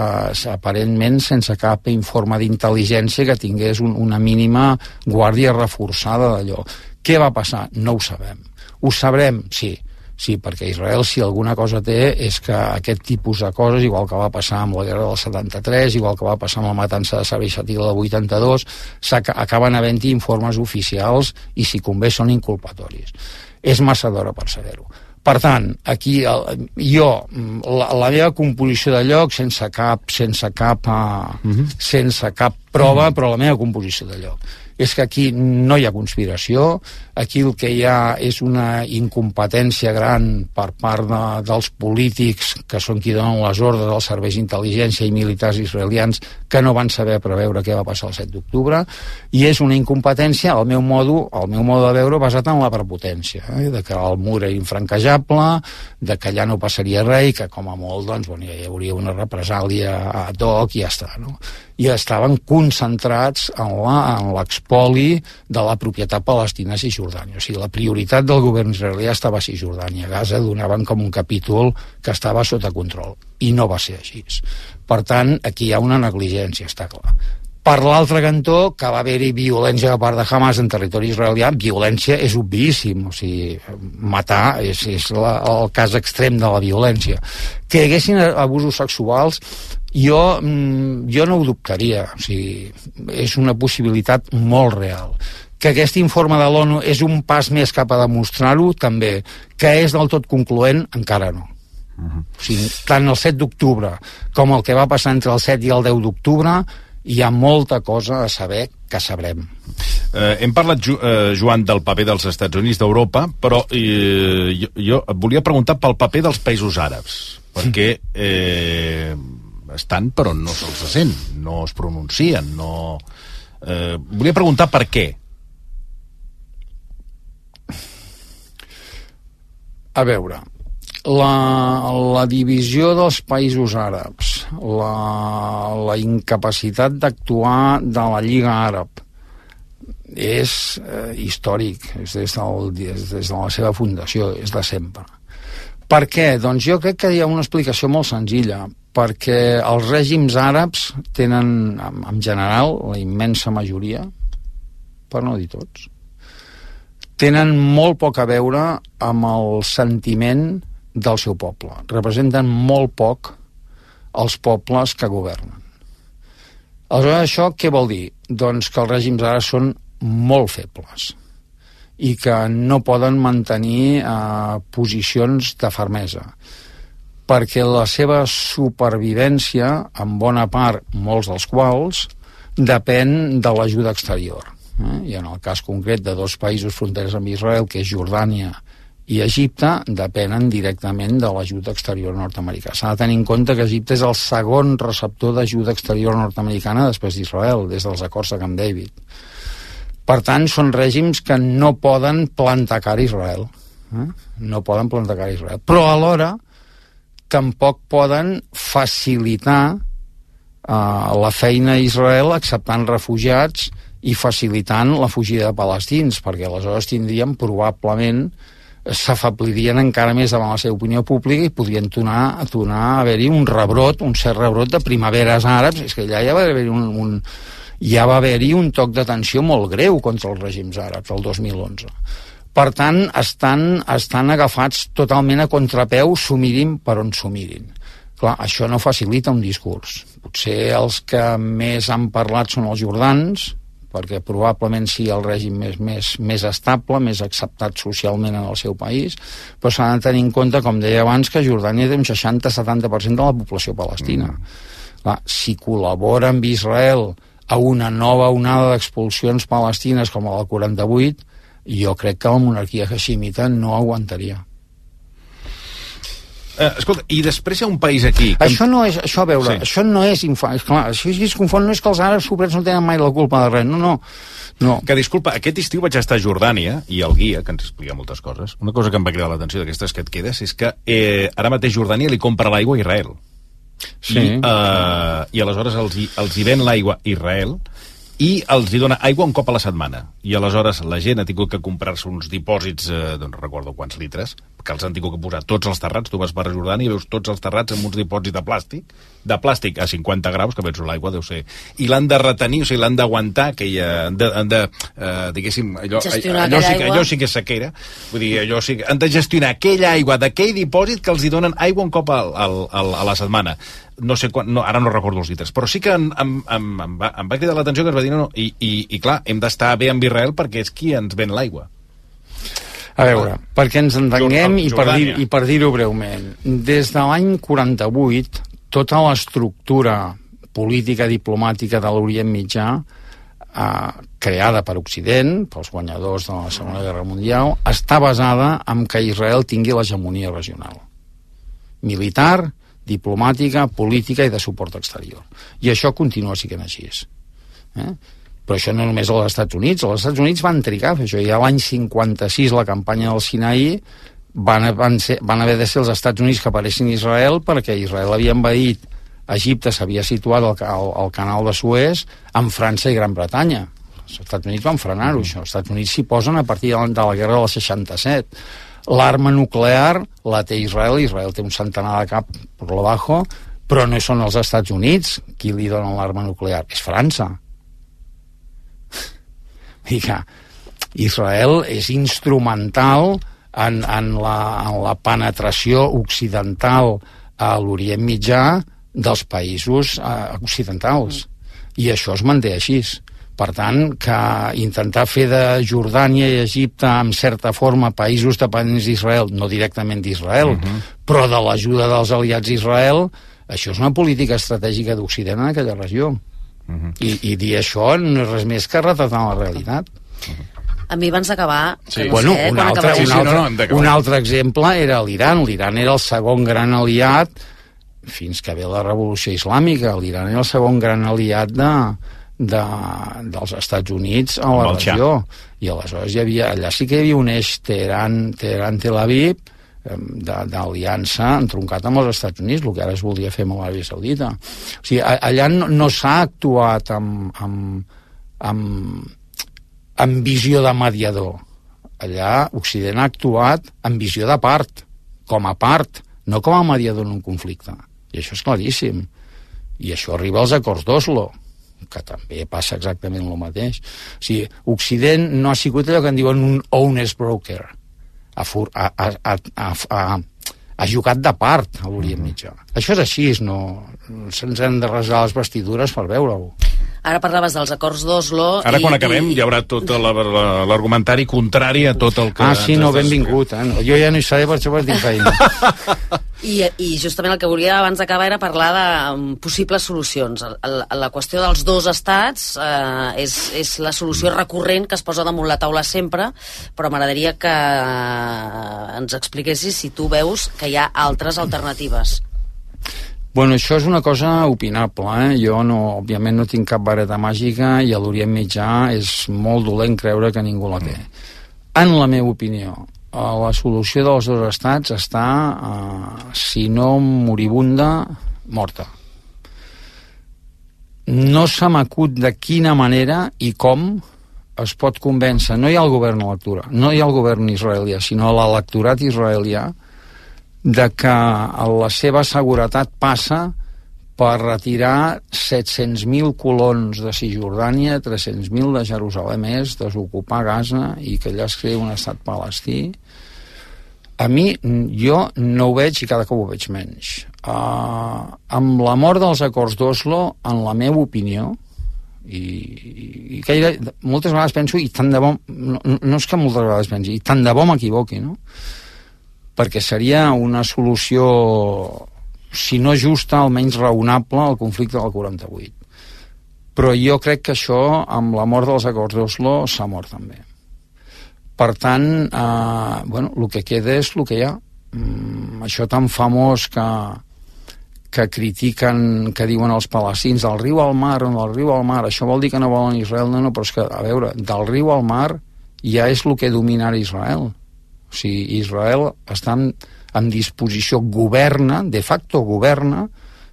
aparentment sense cap informe d'intel·ligència que tingués un, una mínima guàrdia reforçada d'allò. Què va passar? No ho sabem. Ho sabrem? Sí. Sí, perquè Israel, si alguna cosa té, és que aquest tipus de coses, igual que va passar amb la guerra del setanta-tres, igual que va passar amb la matança de Sabra i Shatila del vuitanta-dos, acaben havent-hi informes oficials i, si convé, són inculpatoris. És massa d'hora per saber-ho. Per tant, aquí el, jo, la, la meva composició de lloc, sense cap, sense cap, uh, uh-huh. sense cap prova, uh-huh. però la meva composició de lloc és que aquí no hi ha conspiració, aquí el que hi ha és una incompetència gran per part de, dels polítics que són qui donen les ordres dels serveis d'intel·ligència i militars israelians que no van saber preveure què va passar el set d'octubre, i és una incompetència, al meu modo, al meu modo de veure, basat en la prepotència, eh? De que el mur era infranquejable, de que allà no passaria res i que com a molt doncs, bueno, hi hauria una represàlia ad hoc i ja està, no? I estaven concentrats en l'expoli de la propietat palestina a Cisjordània. O sigui, la prioritat del govern israelià estava a Cisjordània. A Gaza donaven com un capítol que estava sota control. I no va ser així. Per tant, aquí hi ha una negligència, està clar. Per l'altre cantó, que va haver-hi violència a part de Hamas en territori israelià, violència és obvíssim, o sigui, matar és, és la, el cas extrem de la violència. Que hi haguessin abusos sexuals, jo, jo no ho dubtaria, o sigui, és una possibilitat molt real. Que aquest informe de l'ONU és un pas més cap a demostrar-ho, també. Que és del tot concloent, encara no. Uh-huh. O sigui, tant el set d'octubre com el que va passar entre el set i el deu d'octubre, hi ha molta cosa a saber que sabrem. Eh, hem parlat, eh, Joan, del paper dels Estats Units d'Europa, però eh, jo, jo et volia preguntar pel paper dels països àrabs, perquè eh, estan però no se'ls sent, no es pronuncien, no... Eh, volia preguntar per què. A veure, la, la divisió dels països àrabs, la, la incapacitat d'actuar de la Lliga Àrab és eh, històric, és des, del, des, des de la seva fundació, és de sempre. Per què? Doncs jo crec que hi ha una explicació molt senzilla, perquè els règims àrabs tenen, en general, la immensa majoria, per no dir tots, tenen molt poc a veure amb el sentiment del seu poble. Representen molt poc els pobles que governen. Aleshores, això què vol dir? Doncs que els règims ara són molt febles i que no poden mantenir eh, posicions de fermesa, perquè la seva supervivència, en bona part, molts dels quals, depèn de l'ajuda exterior. Eh? I en el cas concret de dos països fronteres amb Israel, que és Jordània i Egipte, depenen directament de l'ajuda exterior nord-americana. S'ha de tenir en compte que Egipte és el segon receptor d'ajuda exterior nord-americana després d'Israel, des dels acords de Camp David. Per tant, són règims que no poden plantar cara a Israel. Eh? No poden plantar cara a Israel. Però alhora tampoc poden facilitar la feina a Israel acceptant refugiats i facilitant la fugida de palestins, perquè aleshores tindríem probablement s'afeblirien encara més davant la seva opinió pública i podrien tornar, tornar a haver-hi un rebrot, un cert rebrot de primaveres àrabs. És que allà ja va haver-hi un, un, ja va haver-hi un toc d'atenció molt greu contra els règims àrabs el dos mil onze. Per tant, estan, estan agafats totalment a contrapeu, s'ho mirin per on s'ho mirin. Clar, això no facilita un discurs. Potser els que més han parlat són els jordans, perquè probablement sigui el règim més, més, més estable, més acceptat socialment en el seu país, però s'ha de tenir en compte, com deia abans, que Jordània té un seixanta a setanta per cent de la població palestina. Mm. Clar, si col·labora amb Israel a una nova onada d'expulsions palestines com la del quaranta-vuit, jo crec que la monarquia hashimita no aguantaria. Eh, escolta, i després hi ha un país aquí... Que... Això no és, això a veure, sí. això no és... Infa... Clar, això es confon, no és que els àrabs sobrets no tenen mai la culpa de res, no, no. no. Que disculpa, aquest estiu vaig estar a Jordània, i el guia, que ens explica moltes coses, una cosa que em va cridar l'atenció d'aquestes que et quedes, és que eh, ara mateix Jordània li compra l'aigua a Israel. Sí. I, eh, i aleshores els hi, els hi ven l'aigua a Israel, i els hi dona aigua un cop a la setmana. I aleshores la gent ha tingut que comprar-se uns dipòsits, eh, doncs no recordo quants litres, que els han tingut que posar tots els terrats. Tu vas per Jordània i veus tots els terrats amb uns dipòsits de plàstic, de plàstic a cinquanta graus, que penso l'aigua deu ser... I l'han de retenir, o sigui, l'han d'aguantar, que hi ha, han de, han de eh, diguéssim, allò, allò, sí, allò sí que és sequera, vull dir, allò sí que... Han de gestionar aquella aigua d'aquell dipòsit que els hi donen aigua un cop al, al, al, a la setmana. No sé quan, no, ara no recordo els litres, però sí que em, em, em, em, va, em va cridar l'atenció que ens va dir, no, no, i, i, i clar, hem d'estar bé amb Israel perquè és qui ens ven l'aigua. A veure, perquè ens entenguem i per, dir, i per dir-ho breument, des de l'any quaranta-vuit, tota l'estructura política diplomàtica de l'Orient Mitjà, eh, creada per Occident, pels guanyadors de la Segona Guerra Mundial, està basada en que Israel tingui l'hegemonia regional. Militar, diplomàtica, política i de suport exterior. I això continua sent així. Eh? Però això no només als Estats Units. Els Estats Units van trigar a fer això. Ja l'any cinquanta-sis, la campanya del Sinaí, van, van, ser, van haver de ser els Estats Units que apareixin a Israel perquè Israel havia envaït Egipte, s'havia situat al, al, al canal de Suez amb França i Gran Bretanya. Els Estats Units van frenar-ho, això. Els Estats Units s'hi posen a partir de la guerra del seixanta-set. L'arma nuclear la té Israel, Israel té un centenar de cap per lo bajo, però no són els Estats Units qui li donen l'arma nuclear, és França. I que Israel és instrumental en, en, la, en la penetració occidental a l'Orient Mitjà dels països eh, occidentals. I això es manté així. Per tant, que intentar fer de Jordània i Egipte, en certa forma, països dependents d'Israel, no directament d'Israel, uh-huh. però de l'ajuda dels aliats d'Israel, això és una política estratègica d'Occident en aquella regió. Uh-huh. I, I dir això no és res més que retratar la realitat. Uh-huh. A mi abans d'acabar... Sí. Bueno, sé, un, altre, un, altre, sí, sí, no, no, un altre exemple era l'Iran. L'Iran era el segon gran aliat fins que ve la revolució islàmica. L'Iran era el segon gran aliat de... De, dels Estats Units a la regió, i aleshores hi havia, allà sí que hi havia un eix Teheran, Teheran Tel Aviv d'aliança entroncat amb els Estats Units, el que ara es volia fer amb l'Aràbia Saudita. O sigui, allà no, no s'ha actuat amb, amb, amb, amb visió de mediador. Allà Occident ha actuat amb visió de part, com a part, no com a mediador en un conflicte. I això és claríssim. I això arriba als acords d'Oslo, que també passa exactament el mateix. O sigui, Occident no ha sigut allò que en diuen un honest broker. Ha, ha, ha, ha, ha, ha jugat de part a l'Orient Mitjà. Això és així, no se'ns han de rasgar les vestidures per veure-ho. Ara parlaves dels acords d'Oslo... Ara, quan i, acabem, i... hi haurà tot l'argumentari contrari a tot el que... Ah, sí, no, benvingut. Eh? Jo ja no hi seré, per això per tinc feina. I, I justament el que volia abans d'acabar era parlar de um, possibles solucions. La, la qüestió dels dos estats eh, és, és la solució recurrent que es posa damunt la taula sempre, però m'agradaria que ens expliquessis si tu veus que hi ha altres alternatives. Bueno, això és una cosa opinable, eh? Jo, no, òbviament, no tinc cap vareta màgica i a l'Orient Mitjà és molt dolent creure que ningú la té. En la meva opinió, la solució dels dos estats està, eh, si no moribunda, morta. no se m'acut de quina manera i com es pot convèncer, no hi ha el govern electoral, no hi ha el govern israelià, sinó l'electorat israelià, de que la seva seguretat passa per retirar set-cents mil colons de Cisjordània, tres-cents mil de Jerusalem Est, desocupar Gaza i que allà es creï un estat palestí. A mi, jo no ho veig i cada cop ho veig menys. Uh, amb la mort dels acords d'Oslo, en la meva opinió, i, i gaire, moltes vegades penso, i tant de bo, no, no és que moltes vegades pensi, i tant de bo m'equivoqui, no? Perquè seria una solució, si no justa, almenys raonable al conflicte del quaranta-vuit. Però jo crec que això, amb la mort dels acords d'Oslo, s'ha mort també. Per tant, eh, bueno, el que queda és el que hi ha. Mm, això tan famós que, que critiquen, que diuen els palestins, del riu al mar, del riu al mar, això vol dir que no volen Israel? No, no, però és que, a veure, del riu al mar ja és el que domina Israel. O sigui, Israel està en, en disposició, governa, de facto governa,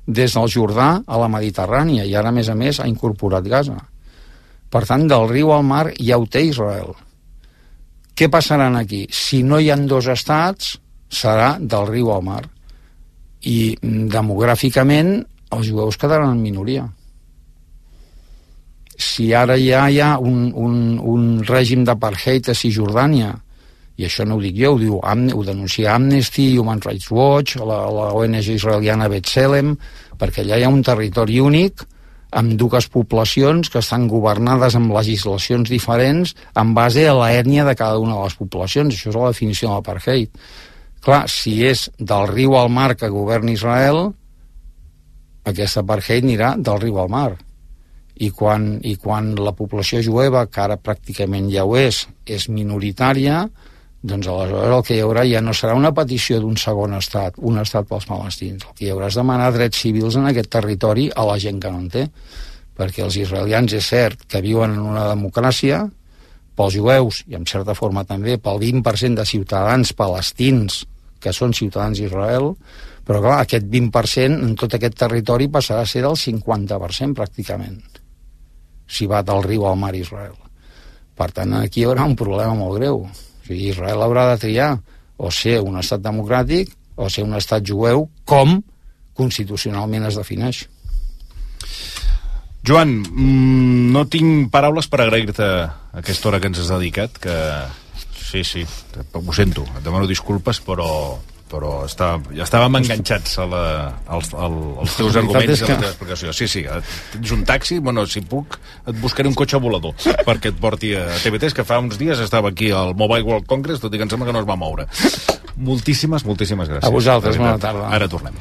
des del Jordà a la Mediterrània, i ara, a més a més, ha incorporat Gaza. Per tant, del riu al mar ja ho té Israel. Què passarà aquí? Si no hi ha dos estats, serà del riu al mar. I demogràficament els jueus quedaran en minoria. Si ara ja hi ha un, un, un règim d'apartheid a Cisjordània, i això no ho dic jo, ho, diu, ho denuncia Amnesty, Human Rights Watch, la, la O N G israeliana B'Tselem, perquè allà hi ha un territori únic amb dues poblacions que estan governades amb legislacions diferents en base a l'ètnia de cada una de les poblacions. Això és la definició de l'apartheid. Clar, si és del riu al mar que governa Israel, aquest apartheid anirà del riu al mar. I quan, i quan la població jueva, que ara pràcticament ja ho és, és minoritària, doncs aleshores el que hi haurà ja no serà una petició d'un segon estat, un estat pels palestins. El que hi haurà és demanar drets civils en aquest territori a la gent que no en té. Perquè els israelians és cert que viuen en una democràcia, pels jueus, i en certa forma també pel vint per cent de ciutadans palestins que són ciutadans d'Israel, però clar, aquest vint per cent en tot aquest territori passarà a ser del cinquanta per cent pràcticament, si va del riu al mar Israel. Per tant, aquí hi haurà un problema molt greu. O sigui, Israel haurà de triar o ser un estat democràtic o ser un estat jueu, com constitucionalment es defineix. Joan, mmm, no tinc paraules per agrair-te aquesta hora que ens has dedicat, que sí, sí, ho sento, et demano disculpes, però però està, ja estàvem enganxats a la, als, als teus arguments i a la teva explicació. Sí, sí, tens un taxi, bueno, si puc, et buscaré un cotxe volador perquè et porti a T V tres, que fa uns dies estava aquí al Mobile World Congress, tot i que em sembla que no es va moure. Moltíssimes, moltíssimes gràcies. A vosaltres, bona tarda. Ara tornem.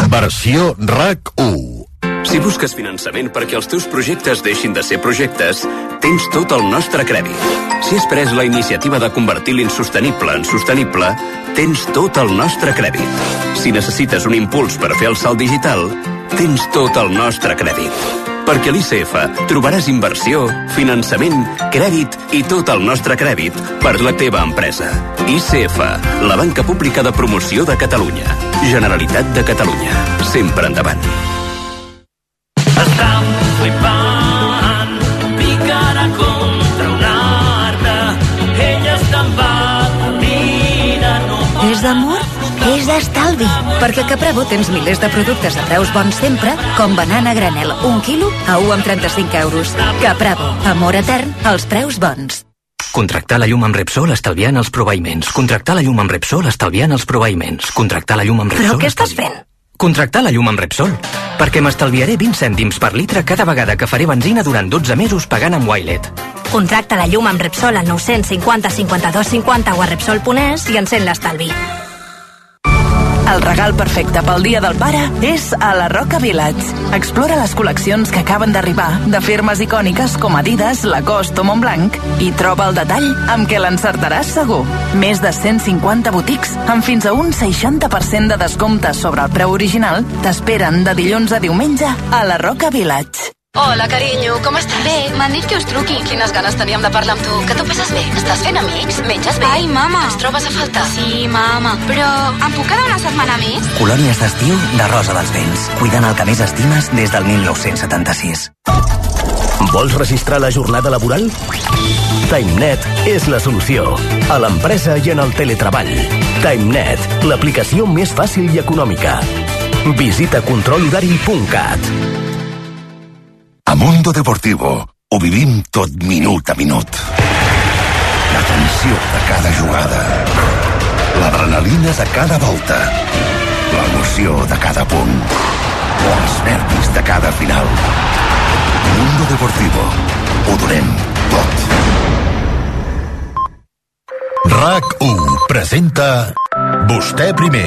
Versió R A C u. Si busques finançament perquè els teus projectes deixin de ser projectes, tens tot el nostre crèdit. Si has pres la iniciativa de convertir l'insostenible en sostenible, tens tot el nostre crèdit. Si necessites un impuls per fer el salt digital, tens tot el nostre crèdit. Perquè a l'I C F trobaràs inversió, finançament, crèdit i tot el nostre crèdit per la teva empresa. I C F, la banca pública de promoció de Catalunya. Generalitat de Catalunya. Sempre endavant. Estam flipant, picarà contra un arbre, ella està envaïda, no pot... És d'amor? És d'estalvi, perquè a Capravo tens milers de productes de preus bons sempre, com banana granel, un quilo a un amb trenta-cinc euros. Capravo, amor etern, als preus bons. Contractar la llum amb Repsol estalviant els proveïments. Contractar la llum amb Repsol estalviant els proveïments. Contractar la llum amb Repsol... Però què estàs fent? Contractar la llum amb Repsol, perquè m'estalviaré vint cèntims per litre cada vegada que faré benzina durant dotze mesos pagant amb Wilet. Contracta la llum amb Repsol al nou cinquanta cinquanta-dos cinquanta o a Repsol punt es i encén l'estalvi. El regal perfecte pel Dia del Pare és a la Roca Village. Explora les col·leccions que acaben d'arribar de firmes icòniques com Adidas, Lacoste o Montblanc i troba el detall amb què l'encertaràs segur. Més de cent cinquanta botics amb fins a un seixanta per cent de descompte sobre el preu original t'esperen de dilluns a diumenge a la Roca Village. Hola, carinyo, com estàs? Bé, m'han dit que us truqui. Quines ganes teníem de parlar amb tu. Que tu passes bé? Estàs fent amics? Menges bé? Ai, mama. Ens trobes a faltar? Sí, mama. Però em puc quedar una setmana més? Colònies d'estiu de Rosa dels Vents. Cuidant el que més estimes des del mil nou-cents setanta-sis. Vols registrar la jornada laboral? TimeNet és la solució. A l'empresa i en el teletreball. TimeNet, l'aplicació més fàcil i econòmica. Visita control horari punt cat. A Mundo Deportivo ho vivim tot minut a minut. La tensió de cada jugada, l'adrenalina de cada volta, l'emoció de cada punt o els nervis de cada final. Mundo Deportivo, ho donem tot. RAC u presenta Vostè primer.